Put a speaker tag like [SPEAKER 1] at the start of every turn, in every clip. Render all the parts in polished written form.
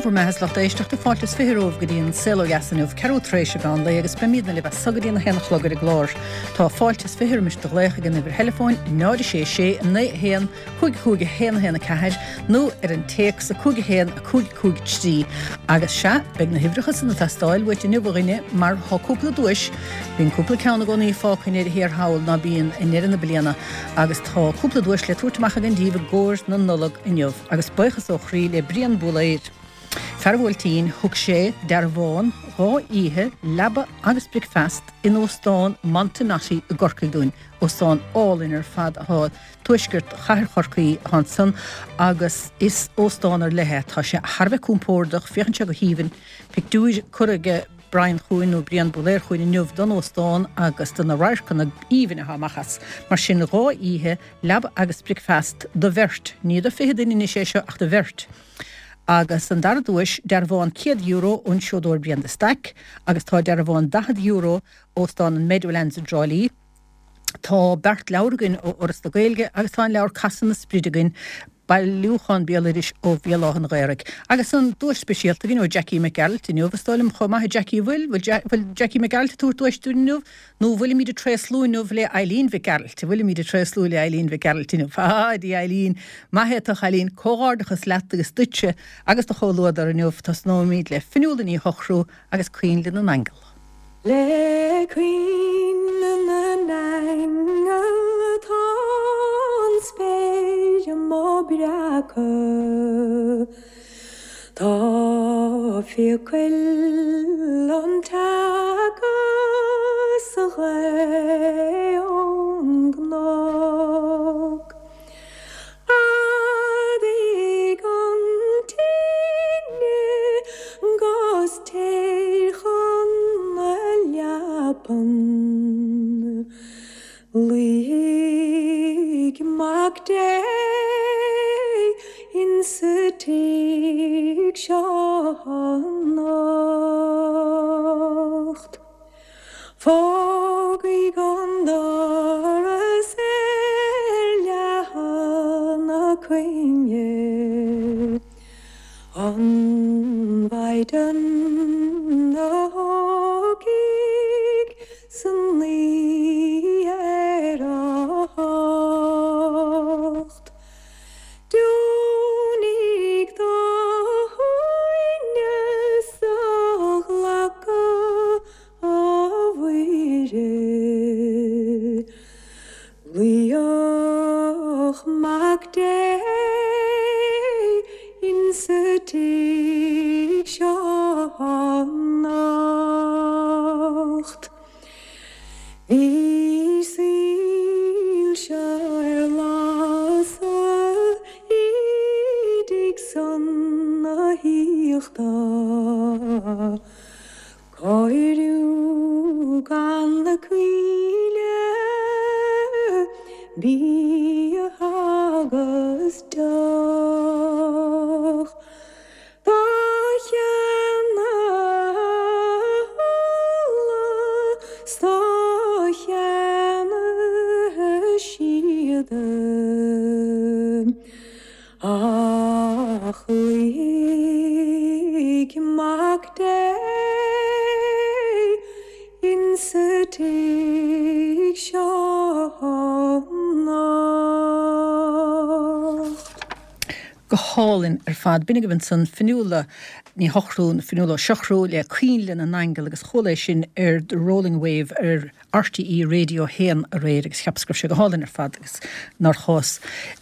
[SPEAKER 1] bhur mbeatha is lucht éisteachta, fáilte is 20 romhaibh go dtí an Saol Ó Dheas inniu, ceathrú tar éis an mheán lae agus beimidne libh as so go dtí an 1 a chlog ar an gclár. Tá fáilte is 20 roimis do ghlaoch ag an uimhir theileafóin 0 6 6 9 1 5 5 1 1 4 nó ar an téacs 5 1 5 5 3 agus sea, beidh na huimhreacha san ag teastáil uait inniu a dhuine mar tá cúpla duais, bíonn cúpla ceann i gcónaí fágtha i ndeireadh thiar thall ná bíonn i ndeireadh na bliana agus tá cúpla duais le tabhairt amach againn díbh i gcomhair na Nollag inniu. Agus buíochas ó chroí le Brian Búlaeir, fear an Bhuailtín, thug sé dearbhán 2 oíche, leaba agus bricfeast in Óstán Montenotte i gCorcaigh dúinn, óstán álainn ar fad atá tuaisceart chathair Chorcaí atá ansan agus is óstán ar leith é. Tá sé thar a bheith compordach, féachann sé go haoibhinn. Pictiúir curtha aige Brian chugainn nó Brian Búlaeir chugainn inniu don óstán agus do na radharcanna aoibhinn atá amach as. Mar sin 2 oíche, Leaba agus bricfeast do bheirt, ní do 20 duine anois é seo ach do bheirt. Agus an dara duais, dearbhán €100 ón seodóir Brian de Staic agus tá dearbhán €40 Óstán an Meadowlands i dTrá Lí. Tá beart leabhar againn ó Fhoras na Gaeilge agus tá an leabhar Casadh na Spride againn, bailiúchán béaloidis ó Bhéal Átha an Ghaorthaidh. Agus an duais speisialta againn ó Jackie Mac Gearailt inniu, is dóigh liom chomh maith, a Jackie, an bhfuil? Bhfuil Jackie Mac Gearailt ag tabhairt duais dúinn inniu? Nó bhfuilimid ag tréaslú inniu le Eileen Mhic Gearailt? Bhfuilimid ag tréaslú le Eileen Mhic Gearailt inniu? Ah, Dia Eileen! Maith é tú, a chailín! Comhghairdeachas leat agus duitse agus do chomhluadar inniu. Tosnóimid le Fionnuala Ní Shochrú agus Coinnle na nAingeal.
[SPEAKER 2] Le coinnle na n-aingeal atá an spéir mo breacadh. Tá fiacail an tseaca sa ghaoth ón gcnoc. Ardaigh an tine 'gus téir chun na leapan. Luífidh Mac Dé insa tigh seo anocht. Fágfaidh an doras ar leathadh na coinne, An Mhaighdean a thiocfaidh san oíche ar a hocht. Deonaigh do shuaimhneas a ghlacadh, a Mhuire. Luíodh Mac Dé insa tigh seo anocht. Bhí soilse ar lasadh i dtigh san na haíochta. Cóiriú gan na coinnle, bia agus deoch. Dá cheannaigh ola 's dá cheannaigh síoda. Ach luífidh Mac Dé insa tigh seo anocht.
[SPEAKER 1] Go hálainn ar fad. B'in agaibh ansan Fionnuala Ní Shochrú, nó Fionnuala Ó Siochrú, le Coinnle na nAingeal agus chuala é sin ar The Rolling Wave ar RTÉ Radio 1 aréir agus cheapas go raibh sé go hálainn ar fad agus nár chás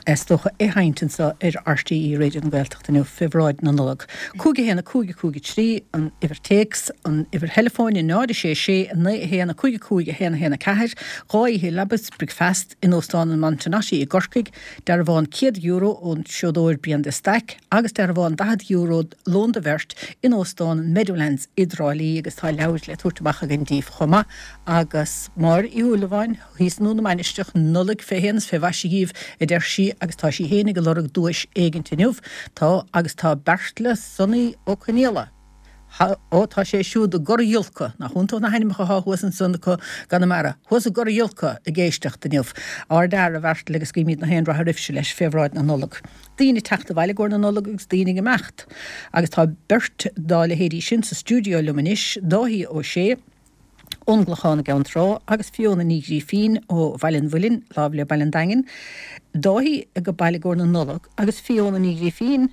[SPEAKER 1] is dócha é a sheinnt anseo ar RTÉ Raidió na Gaeltachta inniu fé bhráid na Nollag. 5 1 5 5 3 an uimhir téacs, an uimhir theileafóin 0 6 6 9 1 5 5 1 1 4, 2 oíche leaba is bricfeast in Óstán an Montenotte i gCorcaigh, Dearbhán €100 ón seodóir Brian de Staic agus dearbhán €40 lón do bheirt in Óstán an Meadowlands i dTrá Lí agus tá leabhair le tabhairt amach againn díbh chomh maith agus Máire Uí Shúilleabháin thíos i nDún na Mainistreach, Nollaig fé shéan is fé mhaise dhíbh a deir sí agus tá sí fhéinig ag lorg duais éigint inniu. Tá agus tá Beartla Sonaí Ó Conaola. Ó, tá sé siúd i gCora Giolca, nach iontach na hainmneacha atá thuas ansan acu i gConamara, thuas i gCora Giolca ag éisteacht inniu. Ár bhfear, a Bheairtle, agus guímid nach aon rath oraibhse leis fé bhráid na Nollag. Daoine ag teacht abhaile i gcomhair na Nollag agus daoine ag imeacht. Agus tá beirt dá leithéidí sin sa stiúideo liom anois, Dáithí Ó Sé, ón gClochán i gCeann Trá agus Fiona Ní Ghrífín ó Bhaile an Mhuilinn, láimh le Baile an Daingin, Dáithí ag baile i gcomhair na Nollag agus Fiona Ní Ghrífín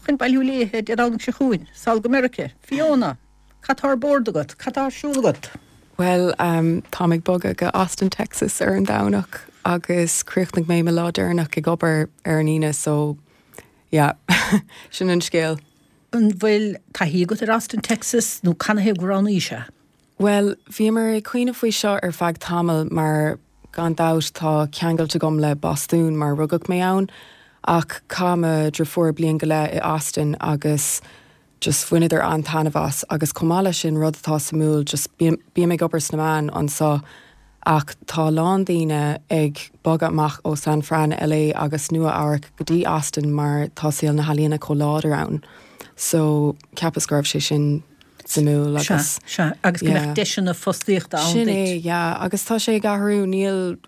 [SPEAKER 1] chun bailiú léithe Dé Domhnaigh seo chugainn, sall go Meirice. Fiona, cad tá ar bord agat? Cad tá ar siúl agat?
[SPEAKER 3] Bhuel, táim ag bogadh go Austin, Texas ar an Domhnach agus chríochnaigh mé mo lá deireanach ag obair ar an Aoine so yeah, sin an scéal.
[SPEAKER 1] An bhfuil taithí agat ar Austin, Texas nó canathaobh gur roghnaís é?
[SPEAKER 3] Bhuel, bhíomar ag cuimhneamh faoi seo ar feadh tamaill mar gan dabht tá ceangailt agam le Bostún mar rugadh mé ann ach chaith mo dhriofúr bliain go leith i Austin agus just bhaineadar an-taitneamh as agus chomh maith leis sin rud atá suimiúil just bím ag obair sna meáin anso Ach tá a lán daoine ag bogadh amach ó San Fran, LA agus Nua Eabhrac go dtí Austin mar tá saol na healaíona chomh láidir ann. So cheapas go raibh sé sin suimiúil
[SPEAKER 1] agus. Sea, sea, agus go mbeadh deiseanna fostaíochta ann
[SPEAKER 3] duit. Sin é, yeah. Agus tá sé ag athrú, níl,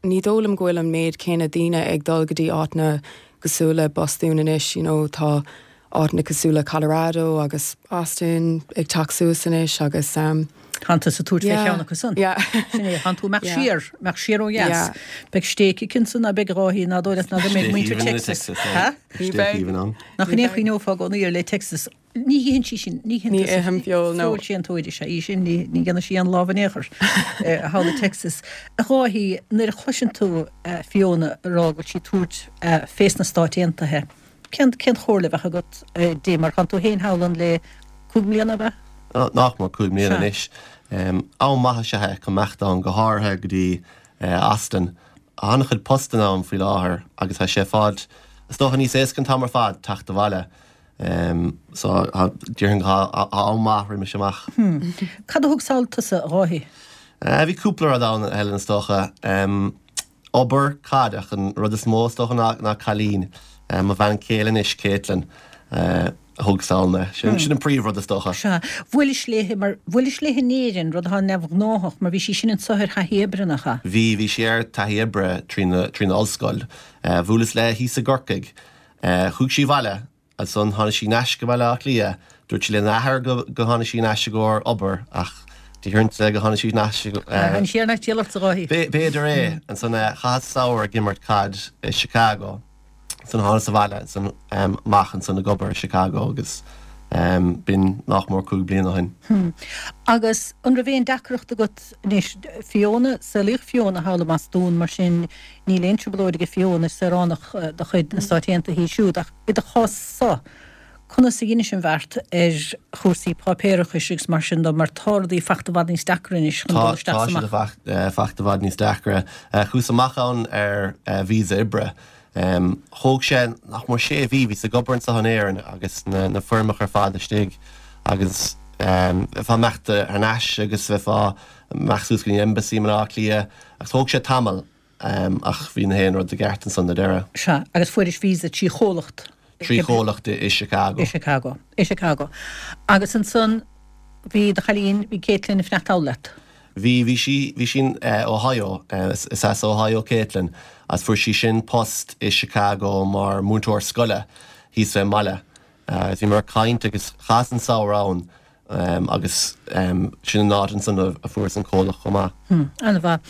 [SPEAKER 3] ní dóigh liom go bhfuil an méid céanna daoine ag dul go dtí áiteanna cosúil le Bostún anois, you know, tá áiteanna cosúil le Colorado agus Austin ag teacht suas anois agus.
[SPEAKER 1] Tánn tusa ag tabhairt fé cheann acu san. Sin é, tánn tú ag imeacht siar, imeacht siar ó dheas. Beidh stéic aici ansan ná beidh a Dháithí, ná dóigh leat ná go mbeidh muintir Texas.
[SPEAKER 4] Stéic aoibhinn ann.
[SPEAKER 1] Nach in é a chuimhneofá i gcónaí ar le Texas. Ní itheann sí sin, ní
[SPEAKER 3] itheann tusa. Ní ithim feoil, no.
[SPEAKER 1] Feoilséantóir is ea í sin, ní dhéanann sí aon lámh in aon chor thall i Texas. A Dháithí, nuair a chloiseann tú Fiona ag rá go bhfuil sí ag tabhairt fés na Stáit Aontaithe, Cén chomhairle a bheadh agat di, mar tánn tú féin thall ann le 5 mbliana, ab ea?
[SPEAKER 4] Nach mór 5 mbliana anois. Am maith is ea é chun imeacht ann, go háirithe go dtí Austin. Tá an-chuid postanna ann faoi láthair agus tá sé ag fáilt, is dócha, níos éasca an t-am ar fad teacht abhaile. So, déarfainn go tá am maith roimis amach.
[SPEAKER 1] Cad a thug sall tusa, a Dháithí?
[SPEAKER 4] Bhí cúpla rud ann, a Helen, is dócha. Obair, caid, ach an rud is mó is dócha ná cailín. Mo bhean chéile anois, Caitlin, a thug sall mé. Sin an príomh rud is dócha.
[SPEAKER 1] Sea. Bhuailis léi mar, bhuailis léi in Éirinn, rud atá neamhghnáthach mar bhí sí sin anso ar thaithí oibre, nach ea?
[SPEAKER 4] Bhí, bhí sí ar taithí oibre trína ollscoil. Bhuaileas léi thíos i gCorcaigh. Chuaigh sí abhaile Ansan tháinig sí 'nais go Baile Átha Cliath. Dúirt sí lena athair go go tháinig sí 'nais i gcomhair obair ach déarfainnse go tháinig sí 'nais i
[SPEAKER 1] Tháinig sí ar ais díol ort a Dháithí.
[SPEAKER 4] B'fhéidir é. Ansan chaitheas samhradh ag imirt caid i Chicago. Ansan thánas abhaile ansan amach ansan ag obair i Chicago agus b'in nach mór 5 bliana ó
[SPEAKER 1] shin. Agus an raibh aon deacracht agat anois, Fiona, saolaíodh Fiona thall i mBostún mar sin níl aon trioblóid aige Fiona, is saoránach de chuid na Stáit Aontaithe í siúd ach i do chás-sa, conas a dheinis an bheart ar chúrsaí páipéarachais agus mar sin de mar tá rudaí fachta i bhfad níos deacra anois chun dul isteach
[SPEAKER 4] is amach. Tá siad fachta i bhfad níos deacra. Chuas amach ann ar visa oibre. Thóg sé nach mór sé mhí, bhíos ag obair anseo in Éirinn agus na foirmeacha ar fad istigh agus bheifeá imeacht thar n-ais agus bheifeá imeacht suas go dtí an embassy i mBaile Átha Cliath agus thóg sé tamall. Ach bhí na haon rud i gceart ansan ar deireadh.
[SPEAKER 1] Sea, agus fuairis visa trí chomhlacht.
[SPEAKER 4] Trí chomhlacht i Chicago.
[SPEAKER 1] I Chicago. I Chicago. Agus ansan bhí do chailín, bhí Caitlin ag fanacht thall leat.
[SPEAKER 4] Bhí, bhí sí, bhí sí in Ohio, is as Ohio Caitlin, agus fuair sí sin post i Chicago mar múinteoir scoile thíos fén mbaile. Agus bhíomar ag caint agus chaitheas an samhradh ann agus sin an áit ansan a fuaireas an comhlacht chomh maith.
[SPEAKER 1] An-mhaith.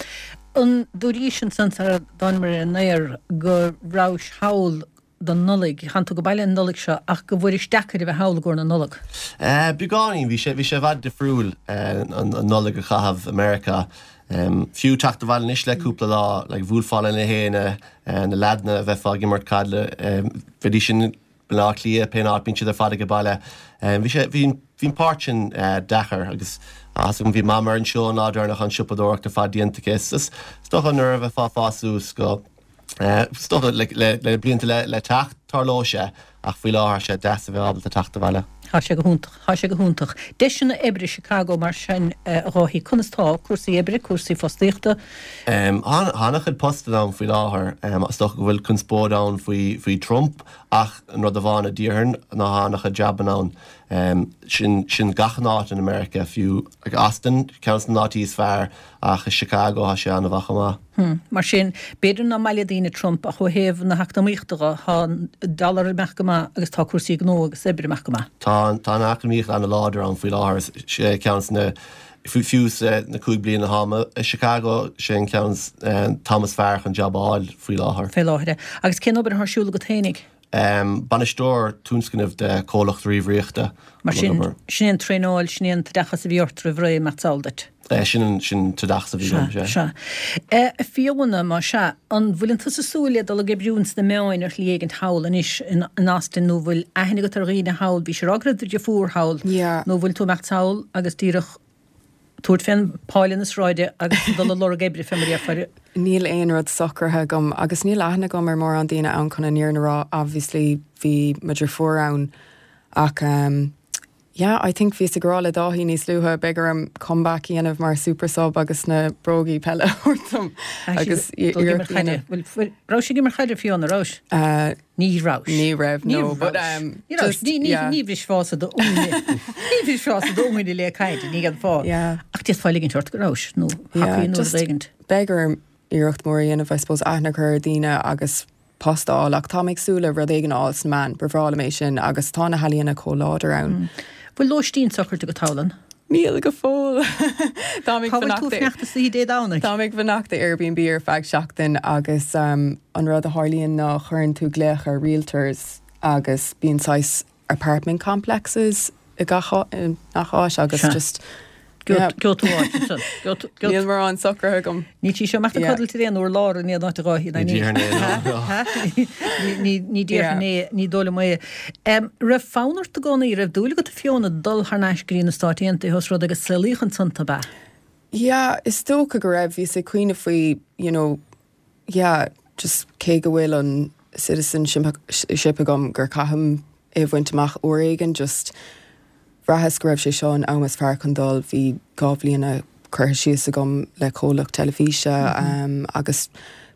[SPEAKER 1] An dúraís ansan sara dtánamar ar an aer go rabhais thall don Nollaig, tánn tú go baile an Nollaig seo ach go bhfuairis deacair a bheith thall i gcomhair na Nollag?
[SPEAKER 4] Beagáinín, bhí sé, bhí sé i bhfad difriúil an Nollaig a chaitheamh i Meiriceá. Fiú teacht abhaile anois le cúpla lá, like bhuailfeá le na héinne, na leaideanna a bheifeá ag imirt caid le, bheidís in Baile Átha Cliath, pén áit, bíonn siad ar fad age baile. Bhí sé, bhí, bhí an páirt sin deacair agus tá 'fhios agam bhí Mam ar an seó an lá deireanach an siopadóireacht ar fad déanta aici. Is, is dócha nuair a bheifeá ag fás suas go, is dócha le, le, le blianta le, le teacht, tarlóidh sé ach faoi láthair tá sé deas a bheith ábalta teacht abhaile.
[SPEAKER 1] Tá sé go hiontach, tá sé go hiontach. Deiseanna oibre Chicago mar sin a Dháithí, conas tá cúrsaí oibre, cúrsaí fostaíochta?
[SPEAKER 4] Tá an-chuid postanna ann faoi láthair. Is dócha go bhfuil conspóid ann faoi faoi Trump ach an rud amháin a déarfainn ná tá an-chuid jabanna ann. Sin sin gach aon áit in America, fiú Austin, ceann de na áití is fearr ach i Chicago tá sé an-mhaith chomh maith.
[SPEAKER 1] Hm. Mar sin, b'fhéidir nach maith le daoine Trump ach ó thaobh na heacnamaíochta dhe, tá an dollar ag imeacht go maith agus tá cúrsaí gnó agus oibre ag imeacht go maith.
[SPEAKER 4] Tá, tá an eacnamaíocht an-láidir ann faoi láthair. Is é ceann de na, fiú sa na 5 bliana atá mé i Chicago, sé an ceann an t-am is fearr chun jab a fháil faoi láthair.
[SPEAKER 1] Faoi láthair. Agus cén obair atá ar siúl agat fhéinig?
[SPEAKER 4] Bainisteoir tionscnaimh de chomhlacht ríomhaireachta.
[SPEAKER 1] Mar sin, sin é an traenáil, sin é an t-oideachas a bhí ort roimh ré, mar is eol duit.
[SPEAKER 4] Sin an sin t-oideachas a bhí agam,
[SPEAKER 1] sea. Sea. A Fiona, má sea, an bhfuileann tusa ag súil le dul ag oibriú ins na meáin ar shlí éigint thall anois in Austin nó bhfuil aithne agat ar dhaoine thall, bhís ag rá go raibh do dheirfiúr thall, nó bhfuil tú ag imeacht sall agus díreach tabhairt fén páile na sráide agus dul ag lorg oibre fé mar a déarfá.
[SPEAKER 3] Níl aon rud socraithe agam agus níl aithne agam ar mórán daoine ann chun an fhírinne a rá. Obviously bhí mo dheirfiúr ann ach ehm yeah I think bhíos ag rá le Dáithí níos luaithe beidh orm comeback a dhéanamh mar super sub agus na brógaí peile a thabhairt dom agus
[SPEAKER 1] iarracht a dhéanamh. Bhfuil, raibh sí ag imirt chaide Fiona, raibh?
[SPEAKER 3] Eh
[SPEAKER 1] Ní raibh.
[SPEAKER 3] Ní raibh, no, but um,
[SPEAKER 1] Ní raibh. Ní yeah. Ní bhrisfeása do ní bhrisfeása d'fhoighne le caid, ní dhéanfá.
[SPEAKER 3] Yeah.
[SPEAKER 1] Ach d'fhéadfá ligint ort go raibh nó
[SPEAKER 3] thacaí nó rud éigint. Beidh orm iarracht mór a dhéanamh, I suppose, aithne a chur ar daoine agus post a fháil, ach tá mé ag súil le rud éigin a fháil sna meáin, ba bhreá liom é sin agus tá na healaíona chomh láidir ann.
[SPEAKER 1] Bhfuil lóistín socraithe agat thall an?
[SPEAKER 3] Níl go fóill.
[SPEAKER 1] Tá mé ag fanacht. Cá bhfuil tú ag fanacht istoíche Dé Domhnaigh?
[SPEAKER 3] Tá mé ag fanacht i Airbnb ar feadh seachtain agus an rud a tharlaíonn ná cuireann tú glaoch ar realtors agus bíonn saghas apartment complexes i gach áit agus just
[SPEAKER 1] Gheobhaidh tú áit ansan.
[SPEAKER 3] Níl mórán socraithe agam.
[SPEAKER 1] Níl sí seo amach ag codlait ar aon urlár in aon áit a Dháithí ná ní. Ní déarfainn é, ní dóigh liom é. Raibh fonn ort i gcónaí, raibh dúil agat a Fiona dul thar n-ais go dtí na Stáit Aontaithe os rud é gur saolaíodh ansan tú, ab ea?
[SPEAKER 3] Yeah, is dócha go raibh. Bhíos ag cuimhneamh faoi, you know, yeah, just cé go bhfuil an citizenship agam gur caithim é a bhaint amach uair éigin, just bhraitheas go raibh sé seo an am is fearr chun dul, bhí 2 bhliana curtha síos agam le comhlacht teilifíse agus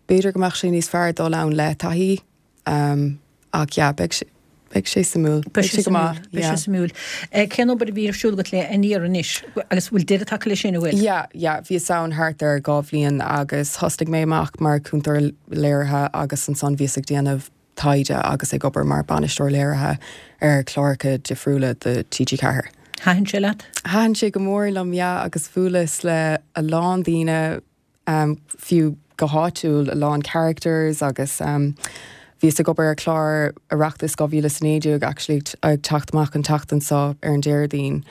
[SPEAKER 3] b'fhéidir go mbeadh sé níos fearr dul ann le taithí. Ach yeah, beidh sé, beidh sé suimiúil.
[SPEAKER 1] Beidh sé go maith, yeah. Beidh sé suimiúil. Cén obair a bhí ar siúl agat le Aniar anois? Agus bhfuil deireadh tagtha leis sin, an bhfuil?
[SPEAKER 3] Yeah, yeah, bhíos ann thart ar 2 bhliain agus thosnaigh mé amach mar chúntóir léirithe agus ansan bhíos ag déanamh taighde agus ag obair mar bainisteoir léirithe ar chláracha difriúla do TG4.
[SPEAKER 1] Thaitin sé leat?
[SPEAKER 3] Thaitin sé go mór liom, yeah, agus bhuaileas le a lán daoine, fiú go háitiúil, a lán characters agus bhíos ag obair ar chlár Oireachtas 2019 actually ag teacht amach an tseachtain seo ar an Déardaoin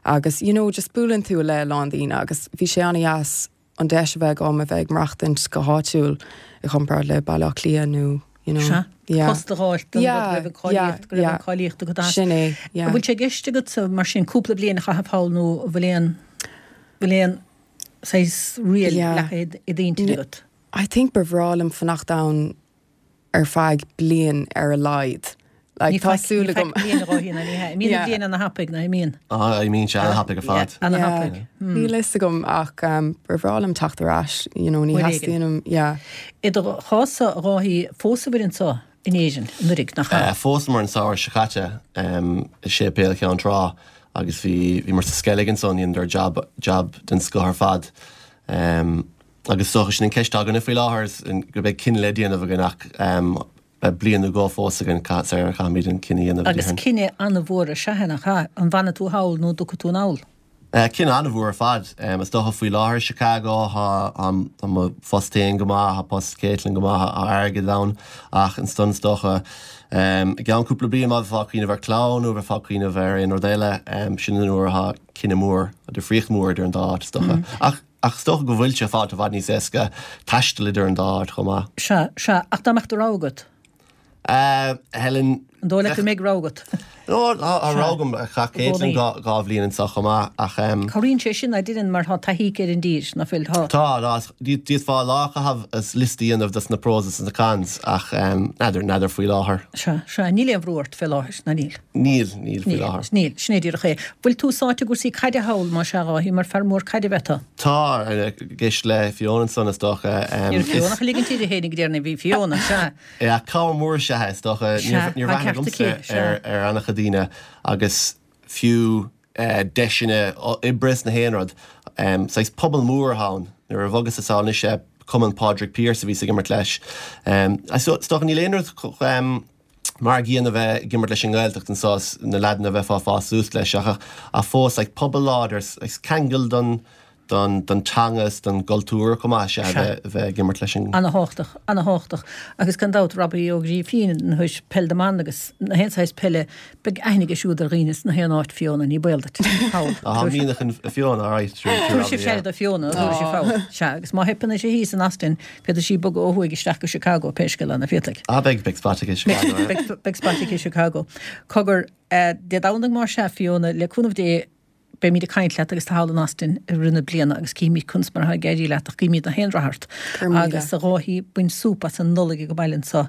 [SPEAKER 3] agus you know just buaileann tú le a lán daoine agus bhí sé an-dheas an deis a bheith agam a bheith ag maireachtaint go háitiúil i gcomparáid le Baile Átha Cliath nó you know
[SPEAKER 1] Sea, yeah. post a dh'fháilt don rud go raibh an cáilíocht, go raibh an cáilíocht agat as.
[SPEAKER 3] Sin é, yeah.
[SPEAKER 1] An bhfuil sé i gceist agatsa mar sin cúpla bliain a chaitheamh thall nó an bhfuil aon, bhfuil aon saghas riail leagtha i d'intinn agat?
[SPEAKER 3] I think ba bhreá liom fanacht ann ar feadh bliain ar a laghad.
[SPEAKER 1] Like, tá súil agam. Ní faic bliain a Dháithí, ná ní hea. Imíonn an bhliain ana-thapaidh, ná imíonn?
[SPEAKER 4] Ah, imíonn sé ana-thapaidh ar fad.
[SPEAKER 1] Ana-thapaidh.
[SPEAKER 3] Níl a fhios agam ach ba bhreá liom teacht ar ais, you know, ní theastaíonn uaim, yeah.
[SPEAKER 1] I do chás-sa, a Dháithí, phósabhair anseo in Éirinn anuraidh, nach
[SPEAKER 4] ea? Phósamar an samhradh seo caite i Séipéal Cheann Trá agus bhí, bhíomar sa Sceilg ansan, dheineadar jab, jab den scoth ar fad. Agus is dócha sin an ceist atá againne faoi láthair, is go mbeidh cinneadh le déanamh againn ach beidh bliain nó dhó fós againn sar a chaithfimid an cinneadh a dhéanamh,
[SPEAKER 1] Agus déarfainn. cinneadh an-mhór is ea é, nach ea? An bhfanfaidh tú thall nó an dtiocfaidh tú anall?
[SPEAKER 4] Cinneadh an-mhór ar fad. Is dócha faoi láthair i Chicago tá mo phost féin go maith, tá post Caitlin go maith, tá airgead ann ach ansan is dócha i gceann cúpla bliain má bheifeá ag cuimhneamh ar chlann nó bheifeá ag cuimhneamh ar aon rud eile, sin an uair atá cinneadh mór, difríocht mhór idir an dá áit is dócha. Ach ach is dócha go bhfuil sé fad i bhfad níos éasca taisteal idir an dá áit chomh maith.
[SPEAKER 1] Sea, sea, ach dá mbeadh do rogha agat?
[SPEAKER 4] Helen.
[SPEAKER 1] An dóigh leat go mbeidh rogha agat?
[SPEAKER 4] No, tá rogha agam. Chaith Caitlin 2 bhliain anseo chomh maith ach.
[SPEAKER 1] Cabhraíonn sé sin, a deireann, mar tá taithí aici ar an dtír, ná fuil?
[SPEAKER 4] Tá. Tá, d'fhéadfá lá a chaitheamh is liosta a dhéanamh dos na pros is na cons ach n'fheadar, n'fheadar faoi láthair.
[SPEAKER 1] Sea, sea, níl aon bhrú ort fé láthair, ná níl?
[SPEAKER 4] Níl, níl faoi láthair.
[SPEAKER 1] Níl, sin é díreach é. Bhfuil tú sáite i gcúrsaí caide thall, más ea, a Dháithí, mar fear mór caide ab ea tú?
[SPEAKER 4] Tá, ag éisteacht le Fiona ansan is dócha.
[SPEAKER 1] Ní raibh Fiona ach ag ligint uirthi féinig déarfainn, bhí Fiona, sea.
[SPEAKER 4] Yeah, cabhair mhór is ea é, is dócha.
[SPEAKER 1] Sea,
[SPEAKER 4] Níor
[SPEAKER 1] tá
[SPEAKER 4] bhreathnaigh
[SPEAKER 1] ceart aici,
[SPEAKER 4] agamsa
[SPEAKER 1] sea.
[SPEAKER 4] ar ar an-chuid daoine agus fiú deiseanna oibre is na haon rud. Saghas pobal mór atá ann. Nuair a bhogas-sa sall anois eh, Cumann Pádraig Pearse a bhíos ag imirt leis. Is dócha níl aon rud mar a gcéanna a bheith ag imirt leis an nGaeltacht anseo is na leaideanna a bheifeá ag fás suas leis ach ach fós like pobal láidir is ceangal don don don teanga is don gcultúr chomh maith is ea a bheith ag imirt leis an.
[SPEAKER 1] Ana-thábhachtach, ana-thábhachtach. Agus gan dabht, Robbie Ó Grífín, théis peil na mban agus na haon saghas peile, beidh aithne aige siúd ar dhaoine sna haon áit, Fiona, ní baol duit.
[SPEAKER 4] Thall. Tá mianach in Fiona, alright, true, true,
[SPEAKER 1] Tabharfaidh sibh aire do Fiona, tabharfaidh sibh thall. Sea, agus má theipeann uirthi thíos in Austin, féadfaidh sí bogadh ó thuaidh isteach go Chicago, pé scéal é, nach bhféadfaidh?
[SPEAKER 4] Ah, beidh, beidh spot aici i Chicago, yeah.
[SPEAKER 1] Beidh, beidh spot aici i Chicago. Cogar, Dé Domhnaigh más ea, Fiona, le cúnamh Dé, Beimid ag caint leat agus tú thall in Austin i rith na bliana agus cífimid conas mar atá ag éirí leat ach guímid na haon rath ort. Agus a Dháithí, bain súp as an Nollaig ag an baile anseo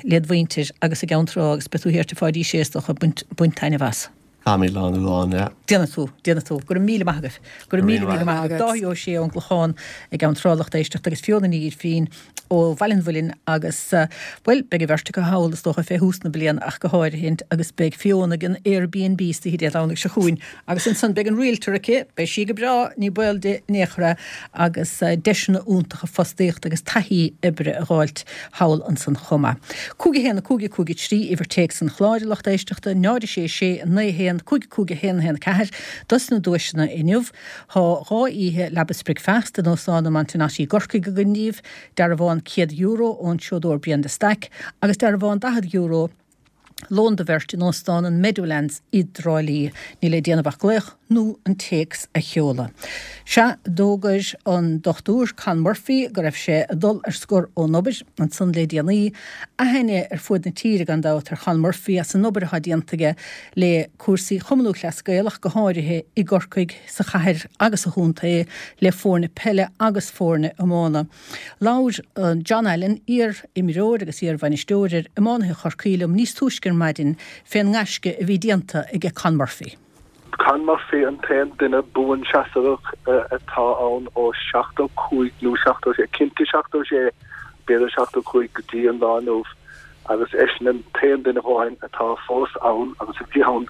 [SPEAKER 1] led mhuintir agus i gCeann Trá agus beidh tú thiar tigh Pháidí Sé is dócha, bain taitneamh as.
[SPEAKER 4] Táimid lán lán, yeah.
[SPEAKER 1] Déanfaidh tú, déanfaidh tú. Go raibh míle maith agaibh. Go raibh míle, míle maith agaibh. Dáithí Ó Sé ón gClochán i gCeann Trá lucht éisteachta agus Fiona Ní Ghirfín ó Bhaile an Mhuilinn agus, bhuel, beidh an bheirt acu thall, is dócha, fé thús na bliana ach go háirithint agus beidh Fiona ag an Airbnb istoíche Dé Domhnaigh seo chugainn agus ansan beidh an realtor aici, beidh sí go breá, ní baol di in aon chor é, agus deiseanna iontacha fostaíochta agus taithí oibre a dh'fháilt thall ansan chomh maith. 5 1 5 5 3 uimhir téacs an chláir, a lucht éisteachta, 0 6 6 9 1 5 5 1 1 4 dos na duaiseanna inniu. Tá 2 oíche leaba 's bricfeasta in Óstán an Montenotte i gCorcaigh againn daoibh, dearbhán €100 ón seodóir Brian de Staic agus dearbhán €40, lón do bheirt in Óstán an Meadowlands i dTrá Lí. Níl le déanamh ach glaoch nó an téacs a sheoladh. Sea, d'fhógair an Dr Con Murphy go raibh sé ag dul ar scor ón obair ansan le déanaí. Aithne ar fuaid na tíre gan dabht ar Chon Murphy as an obair atá déanta aige le cúrsaí Chumann Lúthchleas Gael ach go háirithe i gCorcaigh, sa chathair agus sa chontae, le foirne peile agus foirne iomána. Labhair John Allen, iar-imreoir agus iar-bhainisteoir ar iománaithe Chorcaí liom níos túisce ar maidin fén ngaisce a bhí déanta aige Con Murphy.
[SPEAKER 5] Con Murphy an t-aon duine buanseasmhach atá ann ó 75 nó 76, cinnte 76, b'fhéidir 75 go dtí an lá inniu. agus eisean an t-aon duine amháin atá fós ann agus a bhí ann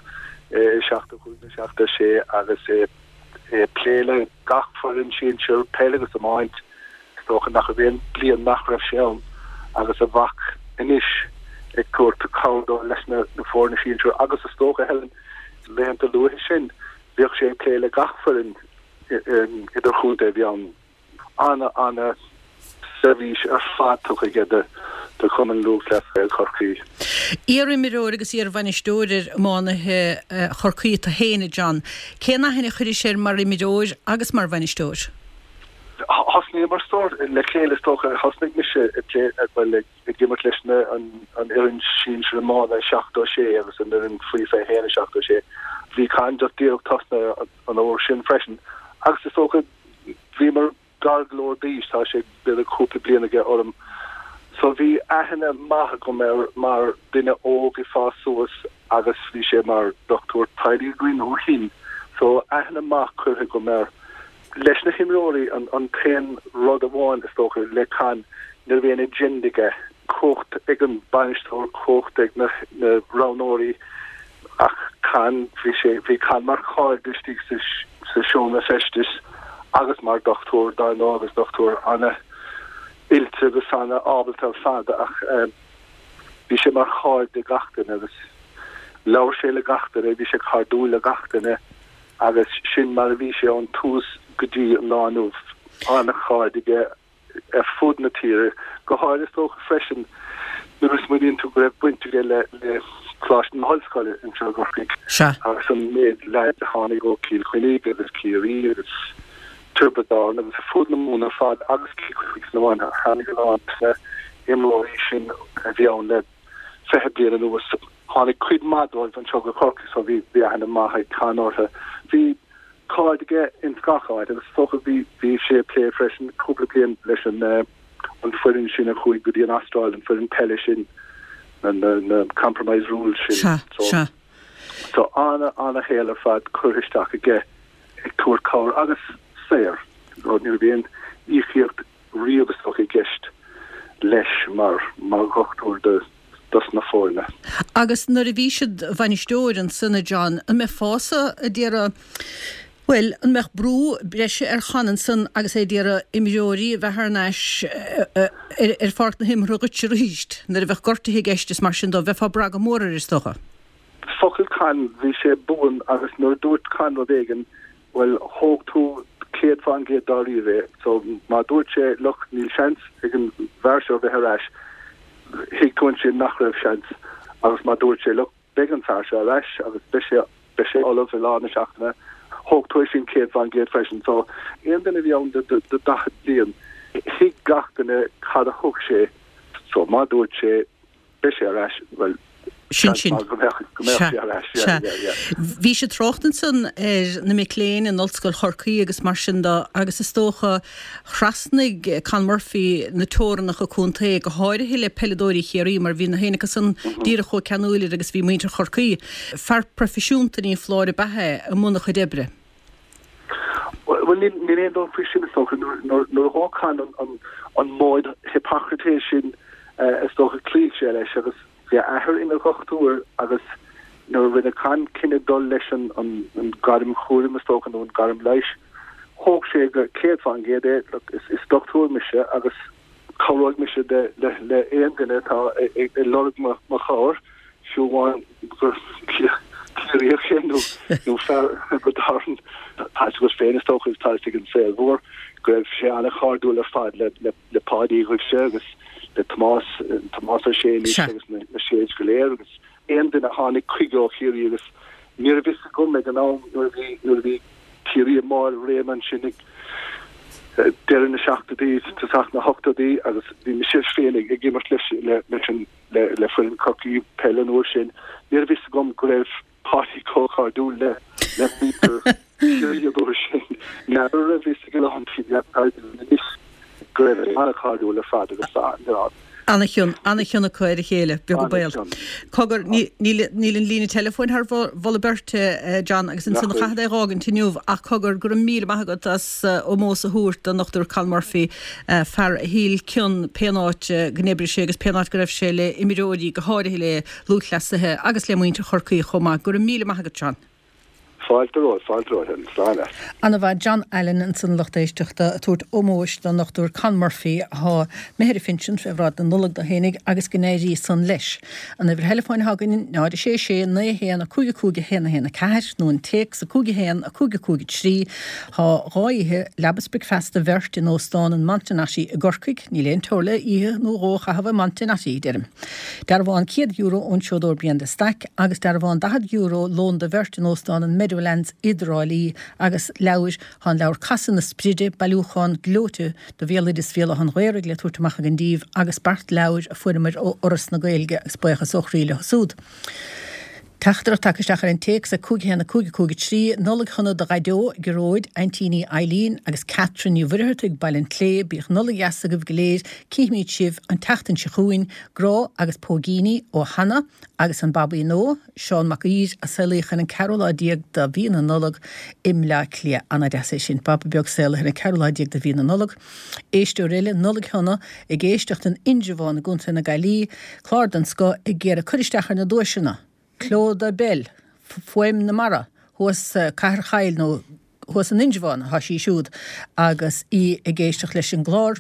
[SPEAKER 5] i 75 nó 76 agus é ag plé le gach foireann sinsir, peil agus iomáint, is dócha nach raibh aon bliain nach raibh sé ann agus a mhac anois ag tabhairt cabhair dó leis na foirne sinsir agus is dócha, Helen, laethanta luaithe sin bhíodh sé ag plé le gach foireann idirchontae a bhí ann. Ana, ana seirbhís ar fad tugtha aige do Chumann Lúthchleas Gael Chorcaí.
[SPEAKER 1] Iar-imreoir agus iar-bhainisteoir ar iománaithe Chorcaí tú féin, a John. Cén aithne a chuiris air mar imreoir agus mar bhainisteoir?
[SPEAKER 5] Thosnaíomar le chéile is dócha. Thosnaigh mise ag plé, bhuel, ag imirt leis na, an fhoireann sinsir iomána i 76 agus an fhoireann faoi 21 i 76. Bhí Con just díreach tosnaithe an uair sin freisin agus is dócha Bhíomar gar go leor d'aois, tá sé b'fhéidir cúpla bliain aige orm. So bhí aithne maith agam air mar duine óg ag fás suas agus bhí sé mar dochtúir teaghlaigh againn ó shin. So aithne maith curtha agam air. Leis na himreoirí, an t-aon rud amháin is dócha le Con, ní raibh aon agenda aige. Cumhacht ag an bainisteoir, cumhacht ag na roghnóirí. Ach Con, bhí sé, bhí Con mar chairde istigh sa, sa seomra feistis agus mar dochtúir, dar ndóigh, agus dochtúir ana-oilte agus ana-ábalta ar fad ach bhí sé mar chairde gach duine agus labhair sé le gach duine, bhí sé cairdiúil le gach duine agus sin mar a bhí sé ón tús go dtí an lá inniu. Ana-chairde aige. ar fud na tíre, go háirithe is dócha freisin nuair a smaoiníonn tú go raibh baint aige le Coláiste na hOllscoile anseo i gCorcaigh agus an méid leaids a tháinig ó Chill Chainnigh agus Ciarraí agus Tiobraid Árann agus ar fud na Mumhan ar fad agus Cill Chainnigh san iomáint. Tháinig a lán de na himreoirí sin a bhí ann le 20 bliain anuas. Tháinig cuid maith dóibh anseo go Corcaigh so bhí bhí aithne maith ag Con orthu. Bhí cairde aige ins gach áit agus is dócha bhí bhí sé ag plé freisin cúpla bliain leis an an foireann sin a chuaigh go dtí an Astráil, an foireann peile sin, na na na compromise rules sin.
[SPEAKER 1] Sea,
[SPEAKER 5] So
[SPEAKER 1] sea.
[SPEAKER 5] so ana ana shaol ar fad curtha isteach aige ag tabhairt cabhair agus saor. Ní raibh aon íocaíocht riamh is dócha i gceist leis mar mar dhochtúir do dos na foirne.
[SPEAKER 1] Agus nuair a bhís id bhainisteoir ansan, a John, an mbeifeása a d'iarraidh, bhuel, an mbeadh brú breise ar Chon ansan agus é d'iarraidh imreoirí a bheith thar n-ais ar pháirc na himeartha dhuit arís nuair a bheadh gortuithe i gceist is mar sin dó, bheifeá ag brath go mór air is dócha?
[SPEAKER 5] Focal Con, bhí sé buan agus nuair a dúirt Con rud éigin, Bhuel, thóg tú 100% dáiríre é. So, má dúirt sé, look, níl seans ag an bhfear seo bheith ar ais, thuig tú ansin nach raibh seans. Agus má dúirt sé, look, beidh an fear seo ar ais agus beidh sé, beidh sé ullamh i lár na seachtaine, thóg tú é sin 100% freisin. So, aon duine a bhí ann do 40 bliain, thuig gach duine cad a thug sé. So, má dúirt sé, Beidh sé ar ais, bhuel,
[SPEAKER 1] Sin
[SPEAKER 5] seans
[SPEAKER 1] sin.
[SPEAKER 5] maith go mbeadh, go mbeadh
[SPEAKER 1] Sea,
[SPEAKER 5] sé ar ais, yeah,
[SPEAKER 1] sea.
[SPEAKER 5] yeah, yeah.
[SPEAKER 1] Bhís ag trácht ansan ar na mic léinn in Ollscoil Chorcaí agus mar sin de agus is dócha thrasnaigh Con Murphy na teorannacha contae, go háirithe le peileadóirí Chiarraí mar bhí na héinne acu san díreach chomh ceanúil air agus bhí muintir Chorcaí. Fear proifisiúnta ní foláir ab ea é i mbun a chuid oibre.
[SPEAKER 5] Bhuel, níl aon dabht faoi sin, is dócha. Nuair a thóg Con an móid Hippocrates sin, is dócha, chloígh sé leis agus bhí a athair ina dhochtúir agus nuair a rinne Con cinneadh dul leis an gairm chúraim, is dócha, nó an gairm leighis, thóg sé go 100% é, look, is dochtúir mise agus cabhróidh mise le aon duine atá ag lorg mo chabhair, fiú amháin gur Ciarraíoch é nó fear Thiobraid Árann. Tá fhios agat féin, is dócha, agus tá fhios ag an saol mhór, go raibh sé an-chairdiúil ar fad le Páidí Uí Dhuibhse agus le Tomás, Tomás Ó Sé anois agus na Sés go léir agus aon duine a tháinig chuige ó Chiarraí agus ní raibh fhios agam ag an am nuair a bhí, nuair a bhí Ciarraí i mbarr a réime ansin ag deireadh na seachtóidí, tosach na hochtóidí agus bhí mise féin ag imirt leis leis an le foireann Chorcaí peile an uair sin. Ní raibh fhios agam go raibh Páidí chomh cairdiúil le le muintir Chiarraí an uair sin. N'fheadar an raibh fhios ag a lán daoine anois go raibh sé an-chairdiúil ar fad agus
[SPEAKER 1] An-chion, an-chion acu ar a chéile, beag an baol. Cogar, níl an líne teileafóin thar mholadh beirte, John, agus ansan chaithfead é a dh'fhágaint inniu, ach cogar, go raibh míle maith agat as ómós a thabhairt don Dr Con Murphy, fear a thuill cion pén áit go n-oibrigh sé agus pén áit go raibh sé le imreoirí, go háirithe le lúthchleasaithe agus le muintir Chorcaí chomh maith. Go raibh míle maith agat, John.
[SPEAKER 5] Fáilte romhat, fáilte romhat, Helen. Slán leat.
[SPEAKER 1] Ana-mhaith John Allen ansan a lucht éisteachta ag tabhairt ómóis don Dr Con Murphy athá imithe ar a phinsean fé bhráid na Nollag dó fhéinig agus go n-éirí san leis. An uimhir theileafóin athá againn 0 6 6 9 1 5 5 1 1 4 nó an téacs 5 1 5 5 3. Thá 2 oíche leaba 's bricfeasta do bheirt in Óstán an Montenotte i gCorcaigh, níl aon teora le oíche nó dhó a chaitheamh i Montenotte, deirim. Dearbhán €100 ón seodóir Brian de Staic agus dearbhán €40 lón do bheirt in Óstán an Meadowlands i dTrá Lí agus leabhair, tá an leabhar Casadh na Spride, bailiúchán gleoite de bhéaloideas Bhéal Átha an Ghaorthaidh le tabhairt amach againn díbh agus beart leabhair a fuaireamar ó Fhoras na Gaeilge agus buíochas ó chroí leo súd. Teachtaireacht tagtha isteach ar an téacs ag 5 1 5 5 3, Nollaig shona do Dhaideo, Gearóid, Aintíní Eileen agus Catherine Ní Mhuircheartaigh, Baile an tSléibhe, Bíodh Nollaig dheas agaibh go léir, Cífimid sibh an tseachtain seo chugainn, Grá agus póigíní ó Hannah agus an Babaí nua, Seán Mac Uidhir, a saolaíodh ar an ceathrú lá déag de mhí na Nollag i mBleá Cliath. Ana-deas é sin, Baba beag saolaithe ar an ceathrú lá déag de mhí na Nollag. Éisteoir eile, Nollaig shona, ag éisteacht in Indreabhán i gContae na Gaillimhe, clár den scoth, ag iarraidh cur isteach ar na duaiseanna! Clodagh Bell, Fuaim na Mara, thuas Cathair Chaill nó thuas in Indreabhán atá sí siúd agus í ag éisteacht leis an gclár.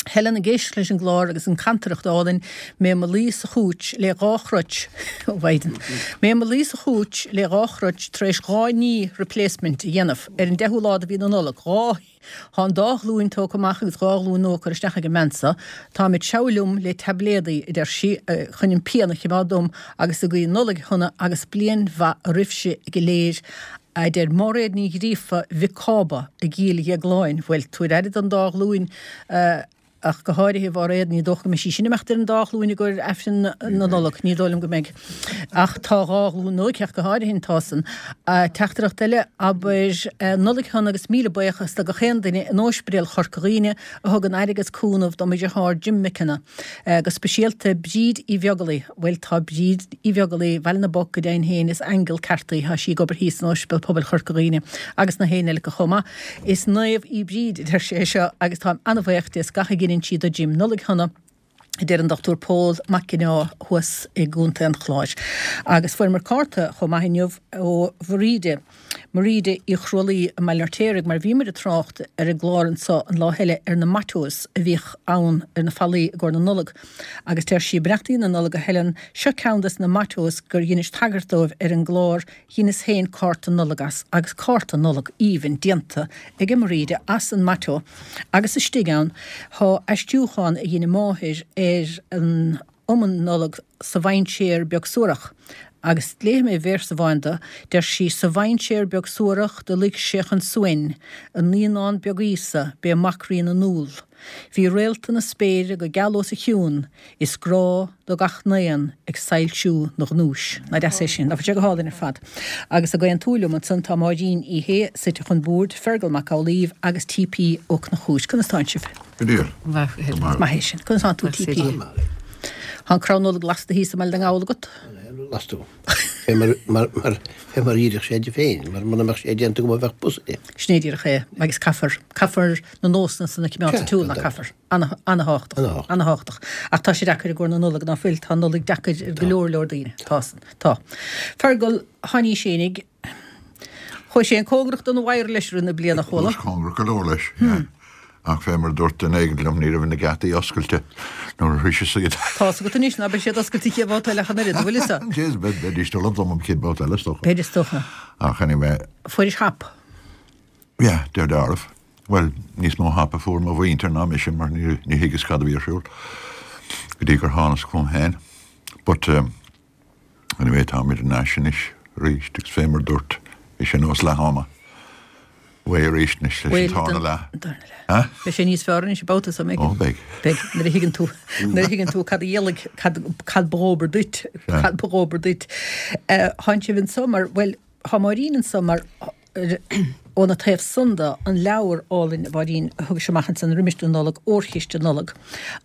[SPEAKER 1] Helen ag éisteacht leis an gclár agus an cantaireacht álainn, mé mo luí sa chúits le dhá chroit, ó Mhaighdean, mé mo luí sa chúits le dhá chroit tar éis 2 knee replacement a dhéanamh ar an deichiú lá de mhí na Nollag, 2 Thá an dá ghlúin tógtha amach agus 2 ghlúin nua curtha isteach ag an mbean so. Táim ag treabhadh liom le taibléadaí, a deir sí, chun an pian a chimeád dom agus ag guí Nollaig shona agus bliain mhaith roimhse go léir, a deir Máiréad Ní Ghríofa Mhic Cába i gCill Dhéagláin. Bhuel, tabhair aire don dá ghlúin, a. ach go háirithe, a Mháiréad, ní dócha go mbeidh sí sin ag imeacht ar an dá ghlúin i gcomhair Aifreann na Nollag, ní dóigh liom go mbeidh. Ach tá dhá ghlúin aici ach go háirithe, tá san. Teachtaireacht eile, abair, Nollaig shona agus míle buíochas do gach aon duine in Ospidéal Chorca Dhuibhne a thugann aire agus cúnamh do mo dheartháir Jim McKenna. Go speisialta Bríd Uí Bheaglaoi. Bhuel tá Bríd Uí Bheaglaoi, Bhaile na bPoc go deimhin féin, is aingeal ceart í. Tá sí ag obair thíos in Ospidéal Pobail Chorca Dhuibhne agus na héinne eile acu chomh maith. Is naomh í Bríd, a deir sé seo, agus táim an-bhaoch di as gach a dheineann sí do Jim. Nollaig shona, a deir an Dr Pól Mac Ginneá thuas i gContae an Chláir. Agus fuaireamar cárta chomh maith inniu ó Mharíde, Maríde Uí Chrualaoi i mBaile an Fheirtéaraigh, mar bhíomar ag trácht ar an gclár anso an lá eile ar na mottos a bhíodh ann ar na fallaí i gcomhair na Nollag. Agus deir sí, Beannachtaí na Nollag a Helen, seo ceann des na mottos gur dheinis tagairt dóibh ar an gclár, Dheineas féin cárta Nollag as, agus cárta Nollag aoibhinn déanta aige Mairíde as an motto, agus istigh ann thá aistriúchán a dhein a máthair ar an iomann Nollag Sa Mhainséar Beag Suarach. Agus léifidh mé véarsa amháin de, deir sí, Sa mhainséar beag suarach do luigh sé chun suain, a naíonán beag Íosa, b'é Mac Rí na nDúl. Bhí réalta na spéire go geal os a chionn, Is grá do gach n-aon ag soilsiú 'na ghnúis. Nach deas é sin? Nach bhfuil sé go hálainn ar fad? Agus ag aontú liom ansan tá Máirín Uí Shé suite chun boird, Fergal Mac Amhlaoibh agus T.P. Ó Conchúir. Conas tánn sibh?
[SPEAKER 6] Go diail. Go
[SPEAKER 1] maith. Maith é sin. Conas tánn tú, T.P.? Tá an crann Nollag lasta thíos i mBaile na nGall agat?
[SPEAKER 6] Lasta. Fé mar, mar, mar, fé mar dhírigh sé di féin, mar muna mbeadh sé déanta agam bheadh pus air.
[SPEAKER 1] Sin é díreach é. Agus caithfear, caithfear na nósanna san a choimeád sa tsiúl, ná caithfear? Ana-thábhachtach. Ana-thábhachtach. Ach tá sé deacair i gcomhair na Nollag, ná fuil? Tá an Nollaig deacair ar go leor leor daoine. Tá san. Tá. Fergal, Sheáiní Fhéinig, chuaigh sé cóngarach don wire leis i rith na bliana,
[SPEAKER 6] chuala. Chuas cóngarach go leor leis, yeah. Ach fé mar a dúirt duine éigin liom, ní raibh na geataí oscailte nuair a shroiseas iad.
[SPEAKER 1] Tá's agat anois ná beidh siad oscailte an chéad bhabhta eile ach an oiread, an bhfuil fhios
[SPEAKER 6] agat? Jeez, beidís dul dom an chéad bhabhta eile, is dócha.
[SPEAKER 1] Beidh, is dócha.
[SPEAKER 6] Ach anyway.
[SPEAKER 1] Fuairis hap.
[SPEAKER 6] Yeah, de dealramh. Bhuel, níos mó hap a fuair mo mhuintir ná mise mar ní thuigeas cad a bhí ar siúl go dtí gur thánas chugam féin. But anyway, táimid ar ais anois arís agus fé mar dúirt, bhí sé nós leath ama. Uaidh arís anois leis an tarna leath.
[SPEAKER 1] Huh? Beidh sé níos fearr anois an babhta seo,
[SPEAKER 6] mbeidh? Ó, beidh.
[SPEAKER 1] Beidh, nuair a thuigeann tú, nuair a thuigeann tú cad a dhéalaigh, cad, cad ba dhóbair duit, cad ba dhóbair duit. Tánn sibh anso mar, bhuel, Tá Máirín anso mar óna taobh san de, an leabhar álainn, a Mháirín, a thugais amach ansan roimis na Nollag, Órchiste Nollag,